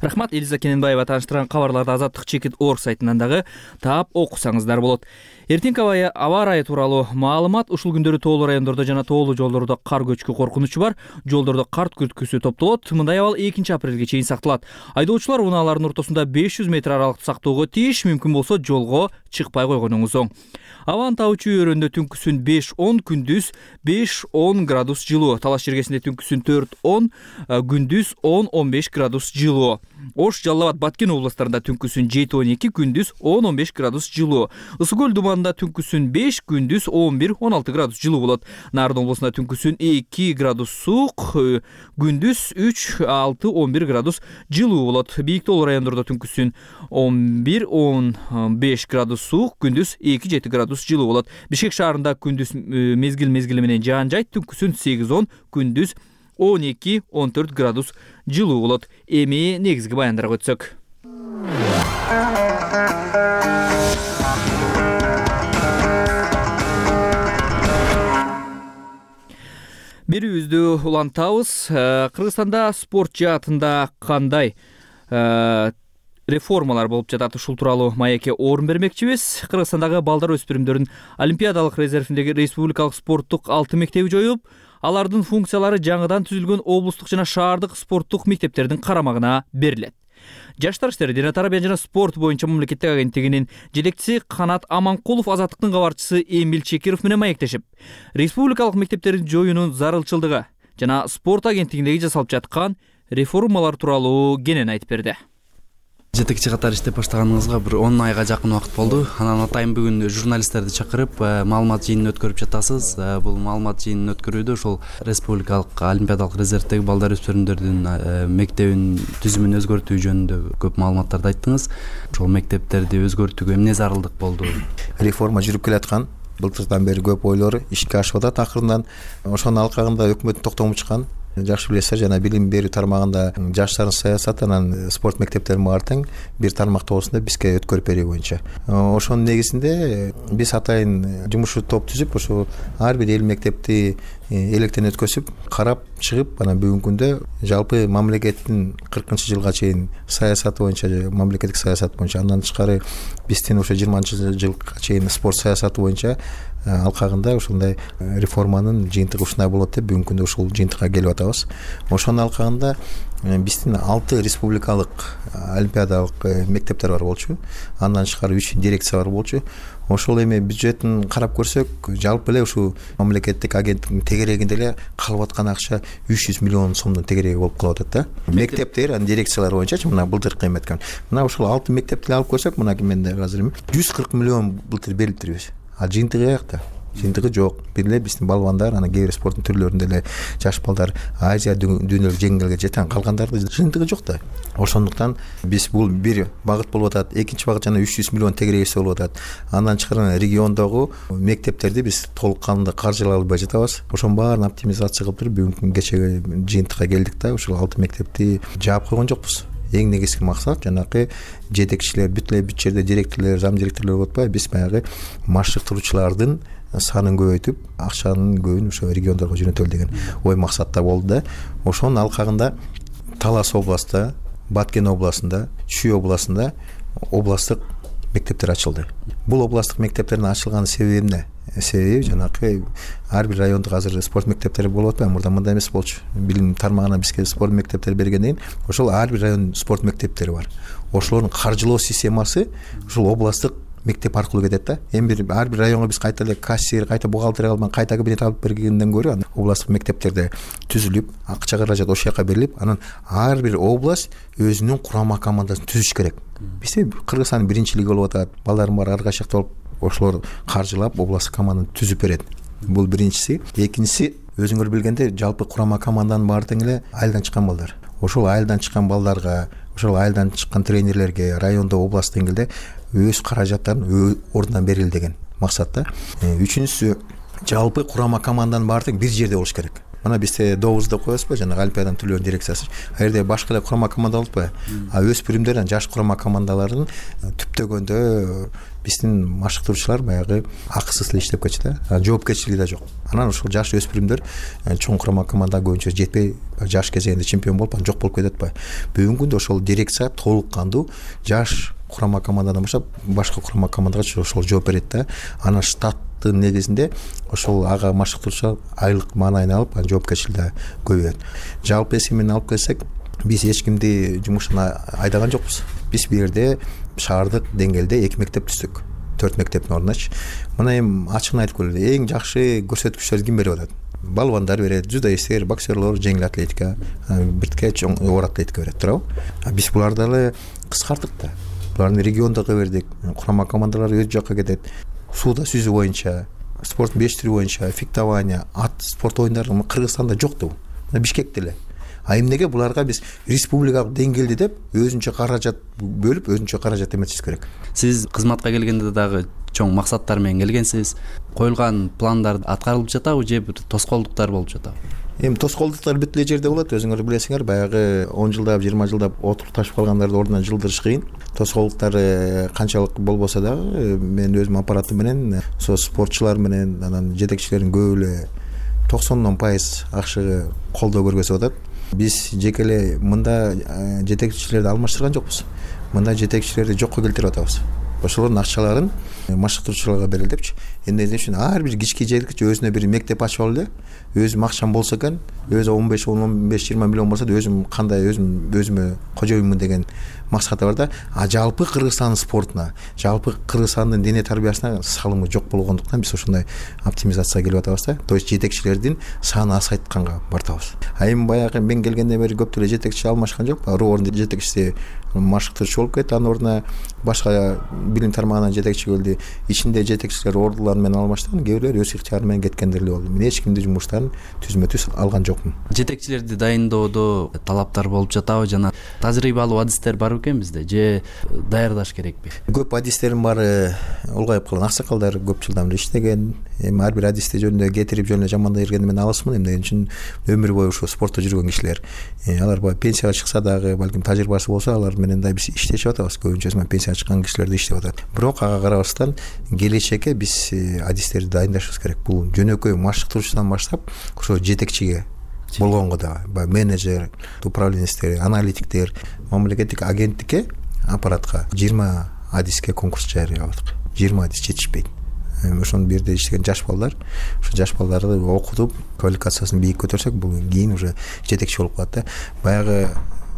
Рахмат. Элиза Кененбаева тааныштырган кабарларды Азаттык чекит орг сайтынан дагы таап окусаңыздар болот. Эртеңки аба ырайы тууралуу маалымат. Ушул күндөрү тоолуу райондордо жана тоолуу жолдордо кар көчкү коркунучу бар. Жолдордо карт күрткүсү топтолот. Мындай абал экинчи апрелге чейин сакталат. Айдоочулар унаалардын ортосунда беш жүз метр аралыкты сактоого тийиш, мүмкүн болсо жолго чыкпай койгонуңуз оң. Абанын табучу өрөндө түнкүсүн беш он, күндүз беш он градус жылуу. Талаш жергесинде түнкүсүн төрт он, күндүз он он беш градус жылуу. Ош, Жалал абад, Баткен областарында түнкүсүн жети он эки, күндүз он он беш градус жылуу. Ысык көл думанында түнкүсүн беш, күндүз он бир он алты градус жылуу болот. Нарын облусунда түнкүсүн эки градус суук, күндүз үч алты он бир градус жылуу болот. Бийик тоолуу райондордо түнкүсүн он бир он беш градус суук, күндүз эки жети градус жылуу болот. Бишкек шаарында күндүз мезгил мезгили менен жаан жайт, түнкүсүн сегиз он, күндүз он эки он төрт градус жылуу болот. Эми негизги баяндарга өтсөк. Берүүбүздү улантабыз. Кыргызстанда спорт жаатында кандай реформалар болуп жатат, ушул тууралуу маекке орун бермекчибиз. Кыргызстандагы балдар өспүрүмдөрдүн олимпиадалык резервиндеги республикалык спорттук алты мектеби жоюлуп, алардын функциялары жаңыдан түзүлгөн облустук жана шаардык спорттук мектептердин карамагына берилет. Жаштар иштери, дене тарбия жана спорт боюнча мамлекеттик агенттигинин жетекчиси Канат Аманкулов Азаттыктын кабарчысы Эмил Чекиров менен маектешип, республикалык мектептердин жоюунун зарылчылдыгы жана спорт агенттигиндеги жасалып жаткан реформалар тууралуу кенен айтып берди. Жетекчи катары иштеп баштаганыңызга бир он айга жакын убакыт болду. Анан атайын бүгүн журналисттерди чакырып маалымат жыйынын өткөрүп жатасыз. Бул маалымат жыйынын өткөрүүдө ошол республикалык олимпиадалык резервдеги балдар өспүрүмдөрдүн мектебин түзүмүн өзгөртүү жөнүндө көп маалыматтарды айттыңыз. Ошол мектептерди өзгөртүүгө эмне зарылдык болду? Реформа жүрүп келаткан. Былтырдан бери көп ойлор ишке ашып атат акырындан. Ошонун алкагында өкмөттүн токтому чыккан. Жакшы билесиздер, жана билим берүү тармагында жаштардын саясаты анан спорт мектептерин баары тең бир тармак тоосунда бизге өткөрүп берүү боюнча. Ошонун негизинде биз атайын жумушчу топ түзүп, ошо ар бир эл мектепти электен өткөзүп, карап чыгып, анан бүгүнкү күндө жалпы мамлекеттин кыркынчы жылга чейин саясаты боюнча, мамлекеттик саясат боюнча, андан тышкары биздин ошо жыйырманчы жылга чейин спорт саясаты боюнча алкагында ушундай реформанын жыйынтыгы ушундай болот деп бүгүнкү күндө ушул жыйынтыкка келип атабыз. Ошонун алкагында биздин алты республикалык олимпиадалык мектептер бар болчу. Андан тышкары үч дирекция бар болчу. Ошол эми бюджетин карап көрсөк, жалпы эле ушул мамлекеттик агенттиктин тегерегинде эле калып аткан акча үч жүз миллион сомдун тегереги болуп калып атат да. Мектептер, анан дирекциялар боюнча мына былтыркы эметкен. Мына ушул алты мектепти алып көрсөк, мына менде азыр жүз кырк миллион былтыр берилиптир. А жыйынтыгы каякта? Жыйынтыгы жок. Бир эле биздин балбандар, анан кээ бир спорттун түрлөрүндө эле жаш балдар Азия дүйнөлүк жеңилге жетен калгандардын жыйынтыгы жок да. Ошондуктан биз бул бир багыт болуп атат, экинчи багыт жана үч жүз миллион тегерегибиз болуп атат. Андан тышкары региондогу мектептерди биз толук кандуу каржылай албай жатабыз. Ошонун баарын оптимизация кылып туруп бүгүнкү кечеги жыйынтыкка келдик да, ушул алты мектепти жаап койгон жокпуз. эң негизги максат жанагы жетекчилер бүт эле бүт жерде директорлор зам директорлор болуп атпайбы, биз баягы машыктыруучулардын санын көбөйтүп акчанын көбүн ошо региондорго жөнөтөлү деген ой максатта болду да. Ошонун алкагында Талас областында, Баткен областында, Чүй областында областтык мектептер ачылды. Бул областтык мектептердин ачылган себеби эмне? Себеби жанагы ар бир райондо азыр спорт мектептери болуп атпайбы? Мурда мындай эмес болчу. Билим тармагына бизге спорт мектептери бергенден кийин ошол ар бир райондун спорт мектептери бар. Ошолордун каржылоо системасы ушул областтык мектеп аркылуу кетет да. Эми бир ар бир районго биз кайта эле кассир, кайта бухгалтерия алып, кайта кабинет алып бергенден көрө областтык мектептерде түзүлүп, акча каражат ошол жака берилип, анан ар бир область өзүнүн курама командасын түзүш керек. Бизде Кыргызстандын биринчи лиги болуп атат, балдардын баары ар кайчакта болуп, ошолор каржылап областтык команданы түзүп берет. Бул биринчиси. Экинчиси, өзүңөр билгендей, жалпы курама команданын баары тең эле айылдан чыккан балдар. Ошол айылдан чыккан балдарга, ошол айылдан чыккан тренерлерге райондо, област деңгээлде өз каражаттарын ордунан берели деген максатта. Үчүнчүсү, жалпы курама команданын баары тең бир жерде болуш керек. Мына бизде добузда коебузбу, жана Олимпиаданын түрлөрүнүн дирекциясы. А жерде башка эле курама команда болуп атпайбы? А өспүрүмдөр, жаш курама командаларын түптөгөндө биздин машыктыруучулар баягы акысыз эле иштеп кетчү да. Жоопкерчилиги да жок. Анан ошол жаш өспүрүмдөр чоң курама команда көбүнчө жетпей, жаш кезеңинде чемпион болуп, анан жок болуп кетип атпайбы? Бүгүнкү күндө ошол дирекция толук кандуу жаш курама командадан баштап башка курама командага ошол жооп берет да. Анан штаттын негизинде ошол ага машыктыруучу айлык маанайын алып, анан жоопкерчилиги көбөйөт. Жалпы эсеби менен алып келсек, биз эч кимди жумуштан айдаган жокпуз. Биз бул жерде шаардык деңгээлде эки мектеп түздүк. төрт мектептин ордуначы. Мына эми ачыгын айтып көрөлү. Эң жакшы көрсөткүчтөрдү ким берип атат? Балбандар берет, дзюдоисттер, боксерлор, жеңил атлетика, биртке чоң оор атлетика берет, туурабы? Биз буларды эле кыскарттык да. Буларды региондорго бердик. Курама командалар өз жакка кетет. Сууда сүзүү боюнча, спорт беш түрү боюнча, фехтование, ат спорт оюндары Кыргызстанда жок да бул. Бишкекте эле. А эмнеге буларга биз республикалык деңгээлде деп өзүнчө каражат бөлүп, өзүнчө каражат эметишибиз керек. Сиз кызматка келгенде дагы чоң максаттар менен келгенсиз. Коюлган пландар аткарылып жатабы же тоскоолдуктар болуп жатабы? Эми тоскоолдуктар бүт эле жерде болот. Өзүңөр билесиңер, баягы он жылдап, жыйырма жылдап отурукташып калгандарды ордунан жылдырыш кыйын. Тоскоолдуктар канчалык болбосо дагы мен өзүм аппаратым менен, со спортчулар менен, анан жетекчилердин көбү эле токсондон пайыз акчага колдоо көргөзүп атат. Биз жеке эле мында жетекчилерди алмаштырган жокпуз. Мында жетекчилерди жокко келтирип атабыз. Ошолордун акчаларын машыктыруучуларга берели депчи. Эмне үчүн ар бир кички жетекчи өзүнө бир мектеп ачып алды. Өзүм акчам болсо экен, өзү он беш он беш жыйырма миллион болсо да өзүм кандай өзүм өзүмө кожоюнмун деген максаты бар да. А жалпы Кыргызстандын спортуна, жалпы Кыргызстандын дене тарбиясына салымы жок болгондуктан биз ошондой оптимизацияга келип атабыз да. То есть жетекчилердин саны азайтканга бартабыз. А эми баягы мен келгенден бери көп деле жетекчи алмашкан жок. Ордун жетекчиси машыктыруучу болуп кетти, анын ордуна башка билим тармагынан жетекчи келди. Ичинде жетекчилер ордулар менен алмаштырган, кээ бирлер өз ыктыяры менен кеткендер эле болду. Мен эч кимди жумуштарын түзмө түз алган жокмун. Жетекчилерди дайындоодо талаптар болуп жатабы жана тажрыйбалуу адистер бар экен бизде же даярдаш керекпи? Көп адистердин баары улгайып калган, аксакалдар көп жылдан бери иштеген. Эми ар бир адисти жөнүндө кетирип жөн эле жамандай бергенди мен алысмын. Эмне үчүн өмүр бою ушул спортто жүргөн кишилер. Алар баягы пенсияга чыкса дагы, балким тажрыйбасы болсо, алар менен да биз иштешип атабыз. Көбүнчөсү пенсияга чыккан кишилерди иштеп атат. Бирок ага карабастан келечекке биз адистерди дайындашыбыз керек. Бул жөнөкөй машыктыруучудан баштап ошо жетекчиге болгонго да, менеджер, управленецтер, аналитиктер, мамлекеттик агенттикке, аппаратка жыйырма адиске конкурс жарыябадык. жыйырма адис жетишпейт. Ошонун бир жерде иштеген жаш балдар, ошо жаш балдарды окутуп, квалификациясын бийик көтөрсөк, бул кийин уже жетекчи болуп калат да. Баягы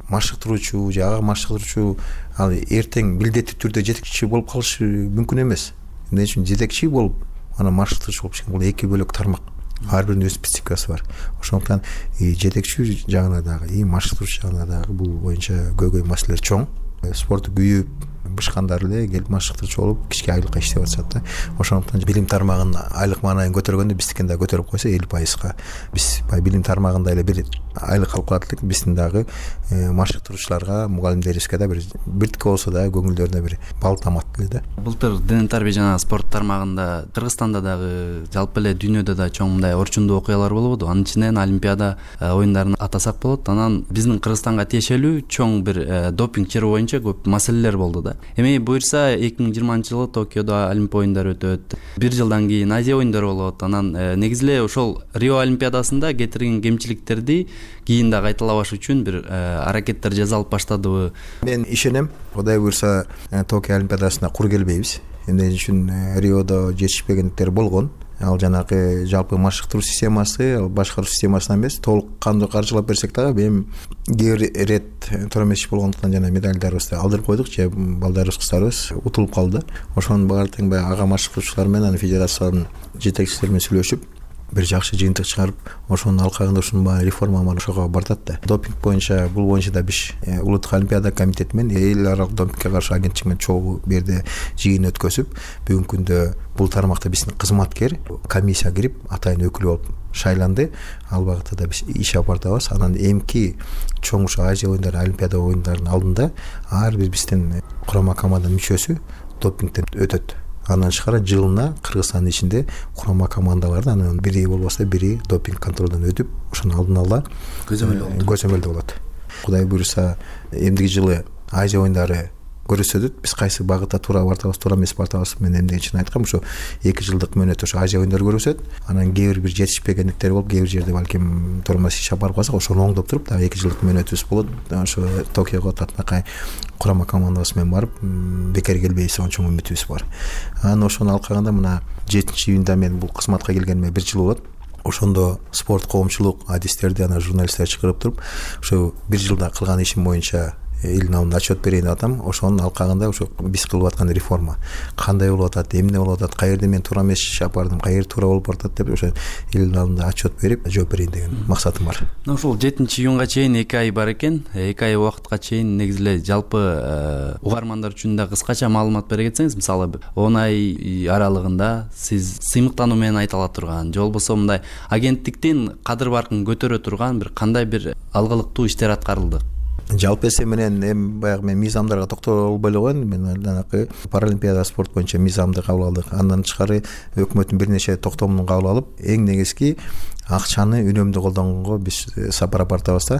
машыктыруучу же ага машыктыруучу ал эртең милдеттүү түрдө жетекчи болуп калышы мүмкүн эмес. Эмне үчүн жетекчи болуп, анан машыктыруучу болуп чыккан, бул эки бөлөк тармак. Ар биринин өз спецификасы бар. Ошондуктан жетекчи жагына дагы, машыктыруучу жагына дагы бул боюнча көйгөй маселелер чоң. Спортту күйүп, бышкандар эле келип машыктырчу болуп кичке айлыкка иштеп атышат да. Ошондуктан билим тармагынын айлык маанайын көтөргөндө биздикин да көтөрүп койсо элүү пайызга биз баягы билим тармагында эле бир айлык алып калат элек, биздин дагы машыктыруучуларга, мугалимдерибизге да бир биртике болсо да көңүлдөрүнө бир бал тамат эле да. Былтыр дене тарбия жана спорт тармагында Кыргызстанда дагы жалпы эле дүйнөдө да чоң мындай орчундуу окуялар болбоду. Анын ичинен Олимпиада оюндарын атасак болот. Анан биздин Кыргызстанга тиешелүү чоң бир допинг чыры боюнча көп маселелер болду да. Эми буюрса эки миң жыйырманчы жылы Токиодо Олимп оюндары өтөт. Бир жылдан кийин Азия оюндары болот. Анан негизи эле ошол Рио Олимпиадасында кетирген кемчиликтерди кийин да кайталабаш үчүн бир аракеттер жасалып баштадыбы? Мен ишенем, Кудай буюрса Токио Олимпиадасына кур келбейбиз. Эмне үчүн Риодо жетишпегендиктер болгон. Ал жанагы жалпы машыктыруу системасы, ал башкаруу системасынан эмес, толук кандуу каржылап берсек дагы эми кээ бир ирет туура эмес иш болгондуктан жана медальдарыбызды алдырып койдук, же балдарыбыз, кыздарыбыз утулуп калды. Ошонун баары тең баягы ага машыктыруучулар менен анан федерациянын жетекчилери менен сүйлөшүп бир жакшы жыйынтык чыгарып, ошонун алкагында ушунун баары реформа ошого бартат да. Допинг боюнча, бул боюнча да биз улуттук олимпиада комитети менен эл аралык допингке каршы агенттик менен чогуу бу жерде жыйын өткөзүп, бүгүнкү күндө бул тармакта биздин кызматкер комиссия кирип атайын өкүл болуп шайланды. Ал багытта да биз иш алып бартабыз. Анан эмки чоң ушу Азия оюндары, Олимпиада оюндарынын алдында ар бир биздин курама команданын мүчөсү допингден өтөт. Андан тышкары жылына Кыргызстандын ичинде курама командаларда анан бири болбосо бири допинг контролдон өтүп, ошонун алдын ала көзөмөлдө болот. Кудай буюрса эмдиги жылы Азия оюндары көрсөтөт. Биз кайсы багытта туура бартабыз, туура эмес бартабыз, мен эмне үчүн айткам, ошо эки жылдык мөөнөттө ошо Азия оюндары көрсөтөт. Анан кээ бир жетишпегендиктер болуп, кээ бир жерде балким туура эмес иш алып барып калсак, ошону оңдоп туруп, дагы эки жылдык мөөнөтүбүз болот. Ошо Токиого татынакай курама командабыз менен барып, бекер келбейбиз деген чоң үмүтүбүз бар. Анан ошонун алкагында мына жетинчи июнда мен бул кызматка келгениме бир жыл болот. Ошондо спорт коомчулук адистерди, анан журналисттер чакырып туруп, ошо бир жылда кылган ишим боюнча элдин алдында отчет берейин деп атам. Ошонун алкагында ошо биз кылып аткан реформа кандай болуп атат, эмне болуп атат, кай жерде мен туура эмес иш алып бардым, кай жер туура болуп атат деп ошо элдин алдында отчет берип жооп берейин деген максатым бар. Ошол жетинчи июнга чейин эки ай бар экен. эки ай убакытка чейин негизи эле жалпы угармандар үчүн да кыскача маалымат бере кетсеңиз, мисалы он ай аралыгында сиз сыймыктануу менен айта ала турган, же болбосо мындай агенттиктин кадыр баркын көтөрө турган бир кандай бир алгылыктуу иштер аткарылды? Жалпы эсеби менен эми баягы мен мыйзамдарга токтоло албай эле коеюн. Мен жанагы паралимпиада спорт боюнча мыйзамды кабыл алдык. Андан тышкары өкмөттүн бир нече токтомун кабыл алып, эң негизги акчаны үнөмдүү колдонгонго биз сапар алып бартабыз да.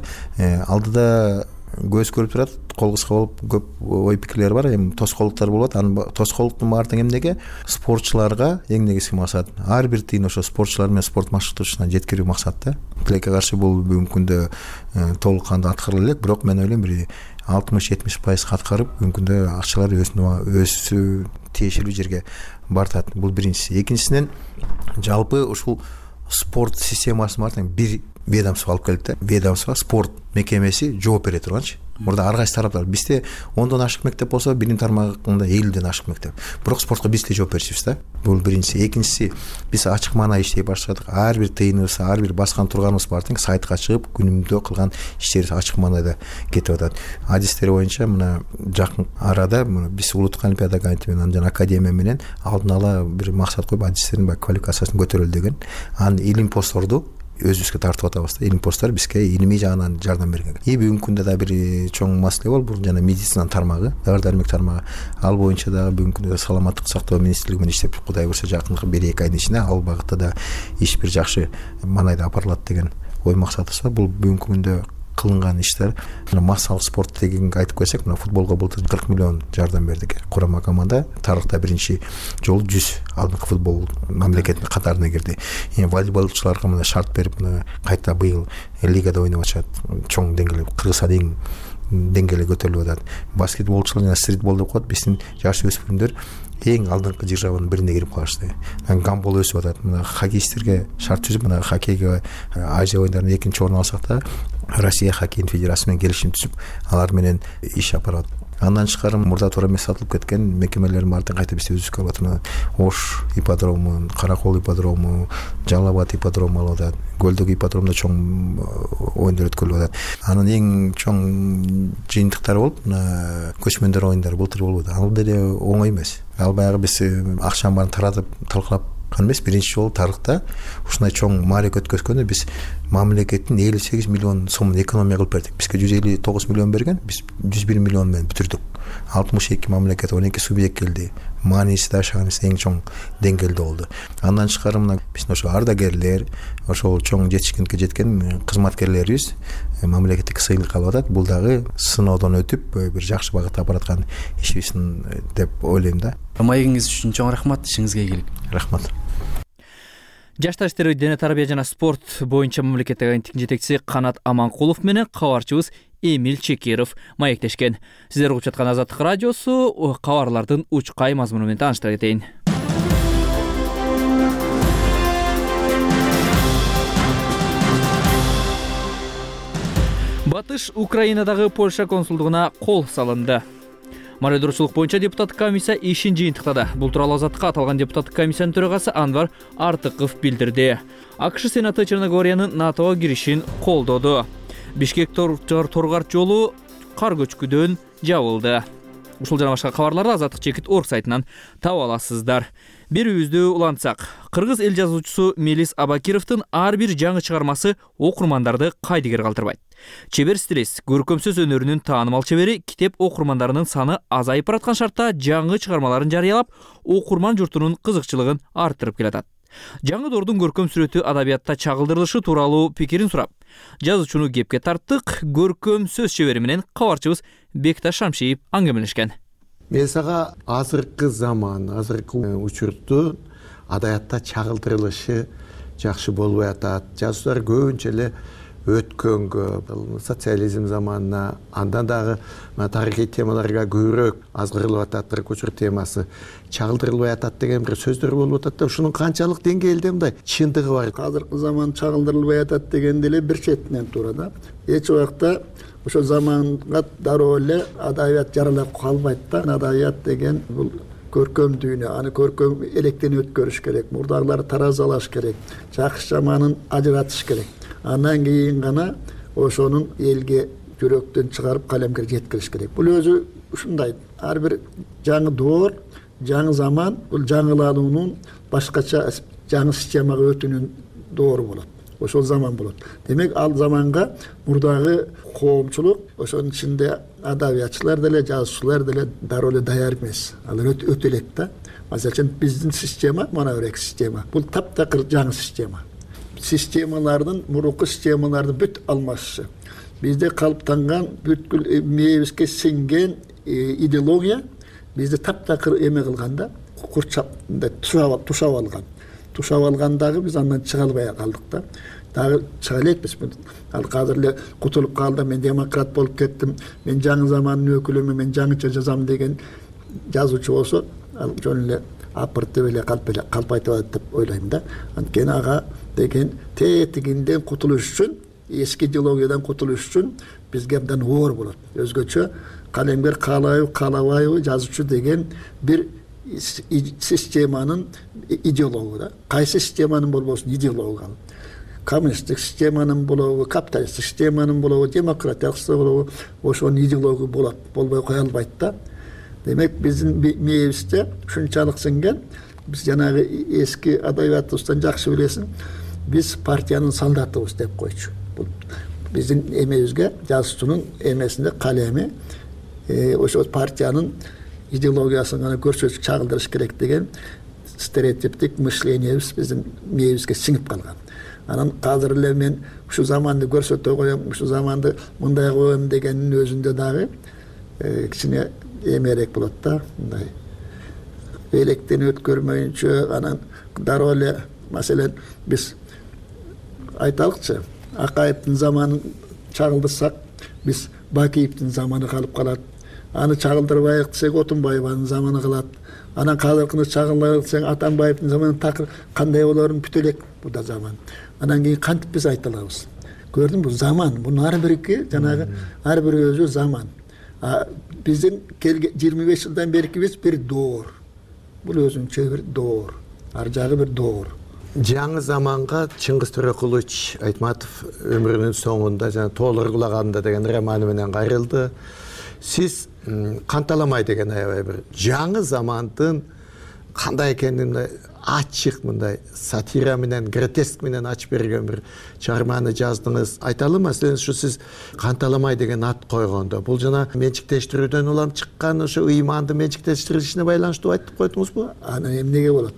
Алдыда көз көрүп турат, кол кыска болуп көп ой пикирлер бар. Эми тоскоолдуктар болот. Анын тоскоолдуктун баары тең эмнеге? Спортчуларга эң негизги максат ар бир тыйын ошо спортчулар менен спорт машыктыруучусуна жеткирүү максат да. Тилекке каршы бул бүгүнкү күндө толук кандуу аткарыла элек, бирок мен ойлойм бир алтымыш жетимиш пайыз аткарып, бүгүнкү күндө акчалар өзүнө өзү тиешелүү жерге бартат. Бул биринчиси. Экинчисинен жалпы ушул спорт системасын баары тең бир ведомство алып келди да. Ведомство спорт мекемеси жооп бере турганчы. Мурда ар кайсы тараптар бизде ондон ашык мектеп болсо, билим тармагында элүүдөн ашык мектеп. Бирок спортко биз эле жооп беришибиз да. Бул биринчиси. Экинчиси, биз ачык маанай иштей баштадык. Ар бир тыйыныбыз, ар бир баскан турганыбыз баары тең сайтка чыгып, күнүмдө кылган иштерибиз ачык маанайда кетип атат. Адистер боюнча мына жакын арада биз улуттук олимпиада комитети менен жана академия менен алдын ала бир максат коюп, адистердин баягы квалификациясын көтөрөлү деген. Анан илим посторду өзүбүзгө тартып атабыз да. Илим посттор бизге илимий жагынан жардам берген. И бүгүнкү күндө да бир чоң маселе бол, бул жана медицина тармагы, дары-дармек тармагы. Ал боюнча да бүгүнкү күндө саламаттык сактоо министрлиги менен иштеп, Кудай буюрса жакынкы бир эки айдын ичинде ал багытта да иш бир жакшы маанайда апарылат деген ой максатыбыз бар. Бул бүгүнкү күндө кылынган иштер. Массалык спорт дегенге айтып койсок, мына футболго былтыр кырк миллион жардам бердик. Курама команда тарыхта биринчи жолу жүз алдыңкы футбол мамлекеттин катарына кирди. Эми волейболчуларга мына шарт берип, мына кайта быйыл лигада ойноп атышат. Чоң деңгээлде Кыргызстанда эң деңгээлге көтөрүлүп атат. Баскетболчулар жана стритбол деп коет, биздин жаш өспүрүмдөр эң алдыңкы жыржабанын бирине кирип калышты. Гандбол өсүп атат. Мына хоккейисттерге шарт түзүп, мына хоккейге Азия оюндарында экинчи орун алсак да, Россия хоккей федерациясы менен келишим түзүп, алар менен иш алып барат. Андан тышкары мурда туура эмес сатылып кеткен мекемелердин баардыгын кайта бизде өзүбүзгө алып атат. Ош ипподрому, Кара Кол ипподрому, Жалал Абад ипподрому алып атат. Көлдөгү ипподромдо чоң оюндар өткөрүлүп атат. Анын эң чоң жыйынтыктары болуп көчмөндөр оюндары былтыр болуп атат. Ал деле оңой эмес. Ал баягы биз акчанын баарын таратып талкалап эмес, биринчи жолу тарыхта ушундай чоң маарек өткөзгөндө биз мамлекеттин элүү сегиз миллион сомун экономия кылып бердик. Бизге жүз элүү тогуз миллион берген, биз жүз бир миллион менен бүтүрдүк. алтымыш эки мамлекет, он эки субъект келди. Мааниси да шаанысы эң чоң деңгээлде болду. Андан тышкары мына биздин ошо ардагерлер, ошол чоң жетишкиндикке жеткен кызматкерлерибиз мамлекеттик сыйлык алып атат. Бул дагы сыноодон өтүп бир жакшы багытта бараткан ишибиздин деп ойлойм да. Маегиңиз үчүн чоң рахмат, ишиңизге ийгилик. Рахмат. Жаштар иштери, дене тарбия жана спорт боюнча мамлекеттик агенттиктин жетекчиси Канат Аманкулов менен кабарчыбыз Эмил Чекиров маектешкен. Сиздер угуп жаткан Азаттык радиосу, кабарлардын учкай мазмуну менен тааныштыра кетейин. Батыш Украинадагы Польша консулдугуна кол салынды. Мародерчулук боюнча депутаттык комиссия ишин жыйынтыктады. Бул тууралуу Азаттыкка аталган депутаттык комиссиянын төрагасы Анвар Артыков билдирди. АКШ Сенаты Черногориянын НАТОго киришин колдоду. Бишкек Торгар жолу кар көчкүдөн жабылды. Ушул жана башка кабарларды Азаттык чекит орг сайтынан таап аласыздар. Берүүбүздү улантсак, кыргыз эл жазуучусу Мелис Абакировдун ар бир жаңы чыгармасы окурмандарды кайдыгер калтырбайт. Чебер стилист, көркөм сөз өнөрүнүн таанымал чебери китеп окурмандарынын саны азайып бараткан шартта жаңы чыгармаларын жарыялап, окурман журтунун кызыкчылыгын арттырып келатат. Жаңы доордун көркөм сүрөтү адабиятта чагылдырылышы тууралуу пикирин сурап, жазуучуну кепке тарттык. Көркөм сөз чебери менен кабарчыбыз Бекташ Шамшиев аңгемелешкен. Мен сага азыркы заман, азыркы учурдун адабиятта чагылдырылышы жакшы болбой атат. Жазуучулар көбүнчө эле өткөнгө, социализм заманына, андан дагы тарыхый темаларга көбүрөөк азгырылып атат. Кырк учур темасы чагылдырылбай атат деген бир сөздөр болуп атат да, ушунун канчалык деңгээлде мындай чындыгы бар. Азыркы заман чагылдырылбай атат деген деле бир четинен туура да. Эч убакта ошо заманга дароо эле адабият жаралап калбайт да. Адабият деген бул көркөм дүйнө, аны көркөм электен өткөрүш керек, мурдагыларды таразалаш керек, жакшы жаманын ажыратыш керек. Андан кийин гана ошонун элге жүрөктөн чыгарып калемге жеткириш керек. Бул өзү ушундай. Ар бир жаңы доор, жаңы заман бул жаңылануунун башкача жаңы системага өтүүнүн доору болот. Ошол заман болот. Демек ал заманга мурдагы коомчулук, ошонун ичинде адабиятчылар деле, жазуучулар деле дароо эле даяр эмес. Алар өтө элек да. Мисалы үчүн биздин система, мына бирек система. Бул таптакыр жаңы система. Системалардын, мурунку системалардын бүт алмашышы. Бизде калыптанган бүткүл мээбизге сиңген идеология бизди таптакыр эме кылганда, курчап тушап алган. Тушап алгандагы биз андан чыга албай калдык да. Дагы чыга элекпиз. Ал азыр эле кутулуп калды, мен демократ болуп кеттим, мен жаңы замандын өкүлүмүн, мен жаңыча жазам деген жазуучу болсо, ал жөн эле апыртып эле калп эле калп айтып атат деп ойлойм да. Анткени ага деген тетигинден кутулуш үчүн, эски идеологиядан кутулуш үчүн бизге абдан оор болот. Өзгөчө калемгер каалайбы, каалабайбы жазуучу деген бир системанын идеологу да. Кайсы системанын болбосун идеологу. Коммунисттик системанын болобу, капиталисттик системанын болобу, демократиялык система болобу, ошонун идеологу болот, болбой кое албайт да. Демек биздин мээбизде ушунчалык сиңген, биз жанагы эски адабиятыбыздан жакшы билесиң, биз партиянын солдатыбыз деп койчу. Бул биздин эмебизге, жазуучунун эмесинде калеми ошо партиянын идеологиясын гана көрсөтүп чагылдырыш керек деген стереотиптик мышлениябыз биздин мээбизге сиңип калган. Анан азыр эле мен ушу заманды көрсөтө коем, ушу заманды мындай коем дегендин өзүндө дагы кичине эмерээк болот да, мындай электен өткөрмөйүнчө, анан дароо эле маселен биз айталыкчы, Акаевдин заманын чагылдырсак, биз Бакиевдин заманы калып калат. Аны чагылдырбайык десек, Отунбаеванын заманы калат. Анан казыркыны чагылдырбайык десең, Атамбаевдин заманы такыр кандай болорун бүтө элек бул да заман. Анан кийин кантип биз айта алабыз? Көрдүңбү, заман. Бунун ар бирки жанагы ар бири өзү заман. биздин жыйырма беш жылдан беркибиз бир доор. Бул өзүнчө бир доор. Ар жагы бир доор. Жаңы заманга Чыңгыз Төрөкулович Айтматов өмүрүнүн соңунда жана Тоолоргулаганда деген романы менен кайрылды. Сиз Канталамай деген аябай бир жаңы замандын кандай экенин ачык мындай сатира менен, гротеск менен ачып берген бир чыгарманы жаздыңыз. Айталы маселен ушу сиз Канталамай деген ат койгондо бул жана менчиктештирүүдөн улам чыккан ошо ыйманды менчиктештиришине байланыштуу айтып койдуңузбу? Анан эмнеге болот?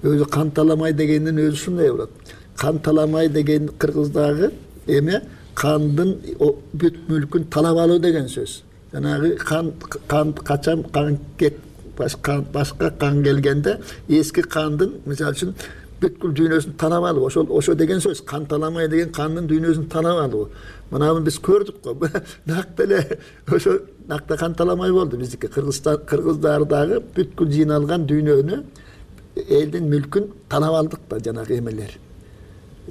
Өзү Канталамай дегендин өзү ушундай болот. Канталамай деген кыргыздагы эме кандын бүт мүлкүн талап алуу деген сөз. Жанагы кан кан качан кан кет башка башка кан келгенде эски кандын мисалы үчүн бүткүл дүйнөсүн танап алуу, ошол ошо деген сөз. Канталамай деген кандын дүйнөсүн танап алуу. Мына биз көрдүк го. Нак деле ошо накта Канталамай болду биздики. Кыргызстан кыргыздардагы бүткүл жыйналган дүйнөнү, элдин мүлкүн танап алдык да жанагы эмелер.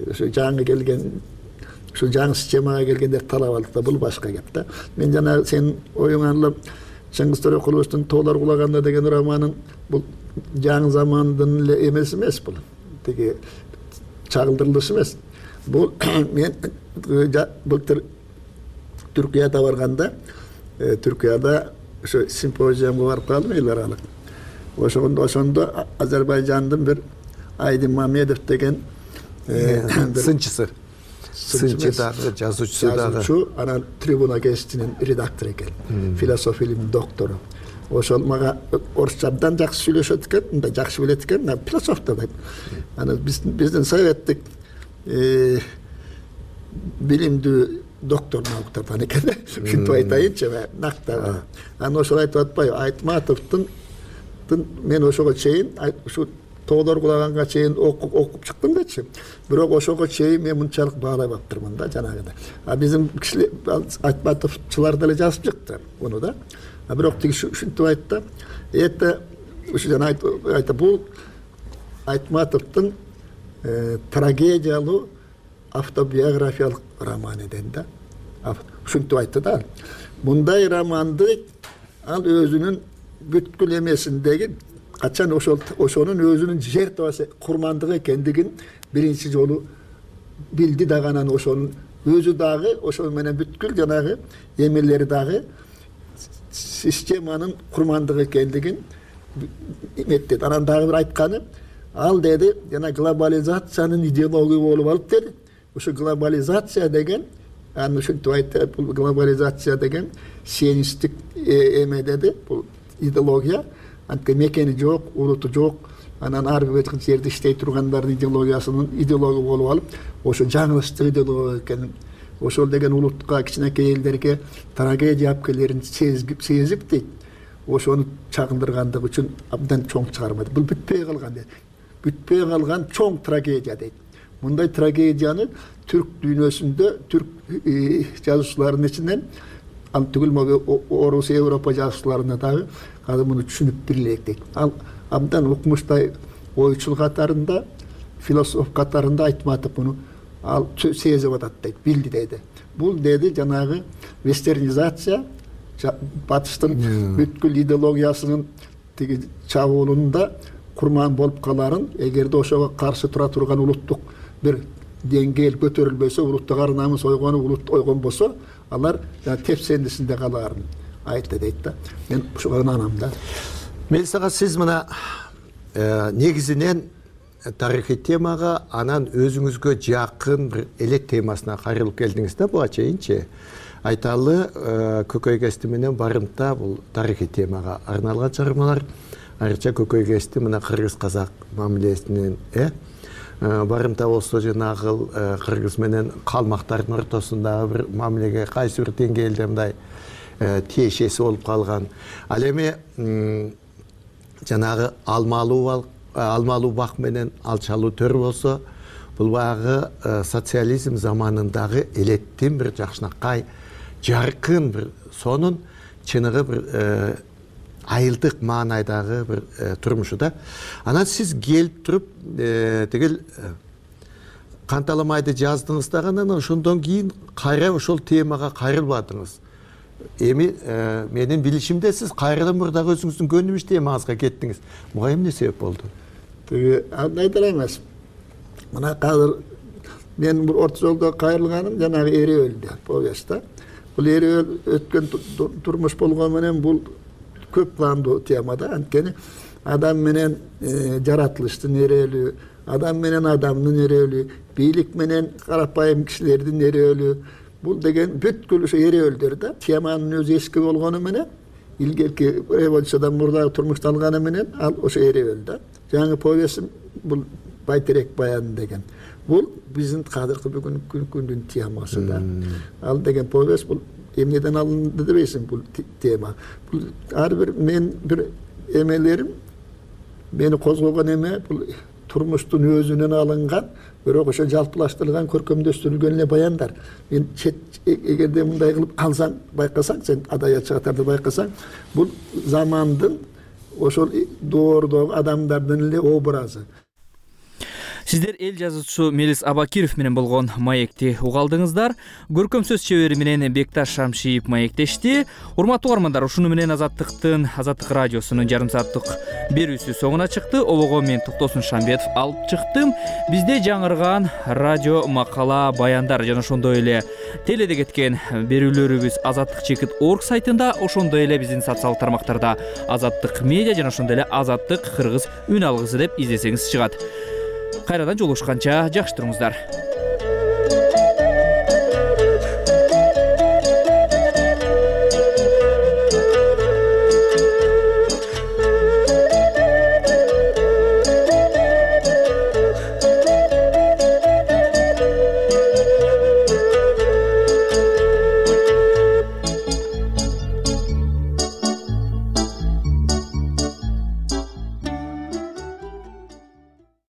Ошо жаңы келген ушул жаңы системага келгендер талап алдык да, бул башка кеп да. Мен жана сен оюңан Чыңгыз Төрөкуловичтин Тоолоргулаганда деген романын бул жаңы замандын эле эмеси эмес бул. Тиги чагылдырылышы эмес. Бул мен былтыр Түркияда барганда, Түркияда ошо симпозиумга барып калдым эл аралык. Ошондо ошондо Азербайжандын бир Айдын Мамедов деген сынчысы сынчы дагы, жазуучусу дагы. Жазуучу, анан Трибуна гезитинин редактору экен. Философия илиминин доктору. Ошол мага орусча абдан жакшы сүйлөшөт экен, мындай жакшы билет экен, философ да. Анан биздин советтик билимдүү доктор науктардан экен. Ушинтип айтайынчы, накта. Анан ошол айтып атпайбы, Айтматовдун мен ошого чейин ушу Тоолоргулаганга чейин окуп чыктым дечи. Бирок ошого чейин мен мынчалык баалай баптырмын да жанагыда. А биздин кишилер Айтматовчулар деле жазып чыкты муну да. А бирок тиги ушинтип айтты. Это ушу жана айтты, бул Айтматовдун трагедиялуу автобиографиялык роман экен да. Ушинтип айтты да. Мындай романды ал өзүнүн бүткүл эмесиндеги качан ошол ошонун өзүнүн жертвасы курмандык экендигин биринчи жолу билди дагы, анан ошонун өзү дагы ошол менен бүткүл жанагы эмелери дагы системанын курмандыгы экендигин эметтеди. Анан дагы бир айтканы, ал деди, жана глобализациянын идеологию болуп алып деди. Ошо глобализация деген, анан ушинтип айтты, бул глобализация деген сионисттик эме деди, бул идеология. Антка мекени жок, улуту жок, анан ар бир жерде иштей тургандардын идеологиясынын идеология болуп алып, ошо жаңылыштык идеология экенин, ошол деген улутка, кичинекей элдерге трагедия алып келерин сезип дейт. Ошону чагылдыргандыгы үчүн абдан чоң чыгарма. Бул бүтпөй калган дейт. Бүтпөй калган чоң трагедия дейт. Мындай трагедияны түрк дүйнөсүндө, түрк жазуучуларынын ичинен, ал түгүл орус, Европа жазуучуларына дагы азыр муну түшүнүп билелек дейт. Ал абдан укмуштай ойчул катарында, философ катарында Айтматов муну ал сезип атат дейт, билди дейди. Бул деди жанагы вестернизация, батыштын бүткүл идеологиясынын тиги чабуулунда курман болуп каларын, эгерде ошого каршы тура турган улуттук бир деңгээл көтөрүлбөсө, улуттук ар намыс ойгону улут ойгон болсо, алар тепсендисинде каларын айтты дейт да. Мен ушуга ынанам да. Мелисага, сиз мына негизинен тарыхый темага, анан өзүңүзгө жакын бир элек темасына кайрылып келдиңиз да буга чейинчи. Айталы, Көкөй кести менен Барымта бул тарыхый темага арналган чыгармалар. Айрыкча Көкөй кести мына кыргыз казак мамилесинен э Барымта болсо жанагы кыргыз менен калмактардын ортосундагы бир мамилеге кайсы бир деңгээлде мындай тиешеси болуп калган. Ал эми жанагы алмалуу алмалуу бак менен алчалуу төр болсо, бул багы социализм заманындагы элеттин бир жакшынакай жаркын бир сонун чыныгы бир айылдык маанайдагы бир турмушу да. Анан сиз келип туруп тигил Канталамайды жаздыңыз дагы, анан ошондон кийин кайра ошол темага кайрылбадыңыз. эми менин билишимде сиз кайрадан мурда дагы өзүңүздүн көнүмүш темаңызга кеттиңиз. Буга эмне себеп болду? Тиги аны айта элемес. Мына азыр мен бир орто жолдо кайрылганым жанагы Эреөлдө повестьта. Бул Эреөл өткөн турмуш болгону менен бул көп пландуу тема да. Анткени адам менен жаратылыштын эреөлү, адам менен адамдын эреөлү, бийлик менен карапайым кишилердин эреөлү. Бул деген бүткүл ошо эреөлдөр да. Теманын өзү эски болгону менен, илгерки революциядан мурдагы турмушту алганы менен ал ошо эреөл да. Жаңы повестьим бул байтерек баян деген. Бул биздин кадыркы бүгүнкү күндүн темасы да. Ал деген повесть бул эмнеден алынды дебейсиң бул тема. Бул ар бир мен бир эмелерим мени козгогон эме бул турмуштун өзүнөн алынган, бирок ошо жалпылаштырылган, көркөмдөштүрүлгөн эле баяндар. Мен эгерде мындай кылып алсаң, байкасаң, сен адаятчы катарда байкасаң, бул замандын ошол доордогу адамдардын эле образы. Сиздер эл жазуучусу Мелис Абакиров менен болгон маекти угалдыңыздар. Көркөм сөз чебери менен Бекташ Шамшиев маектешти. Урматтуу угармандар, ушуну менен Азаттыктын, Азаттык радиосунун жарым сааттык берүүсү соңуна чыкты. Обого мен Токтосун Шамбетов алып чыктым. Бизде жаңырган радио макала, баяндар жана ошондой эле теледе кеткен берүүлөрүбүз азаттык чекит орг сайтында, ошондой эле биздин социалдык тармактарда Азаттык медиа жана ошондой эле Азаттык кыргыз үн алгысы деп издесеңиз чыгат. Кайрадан жолугушканча жакшы туруңуздар.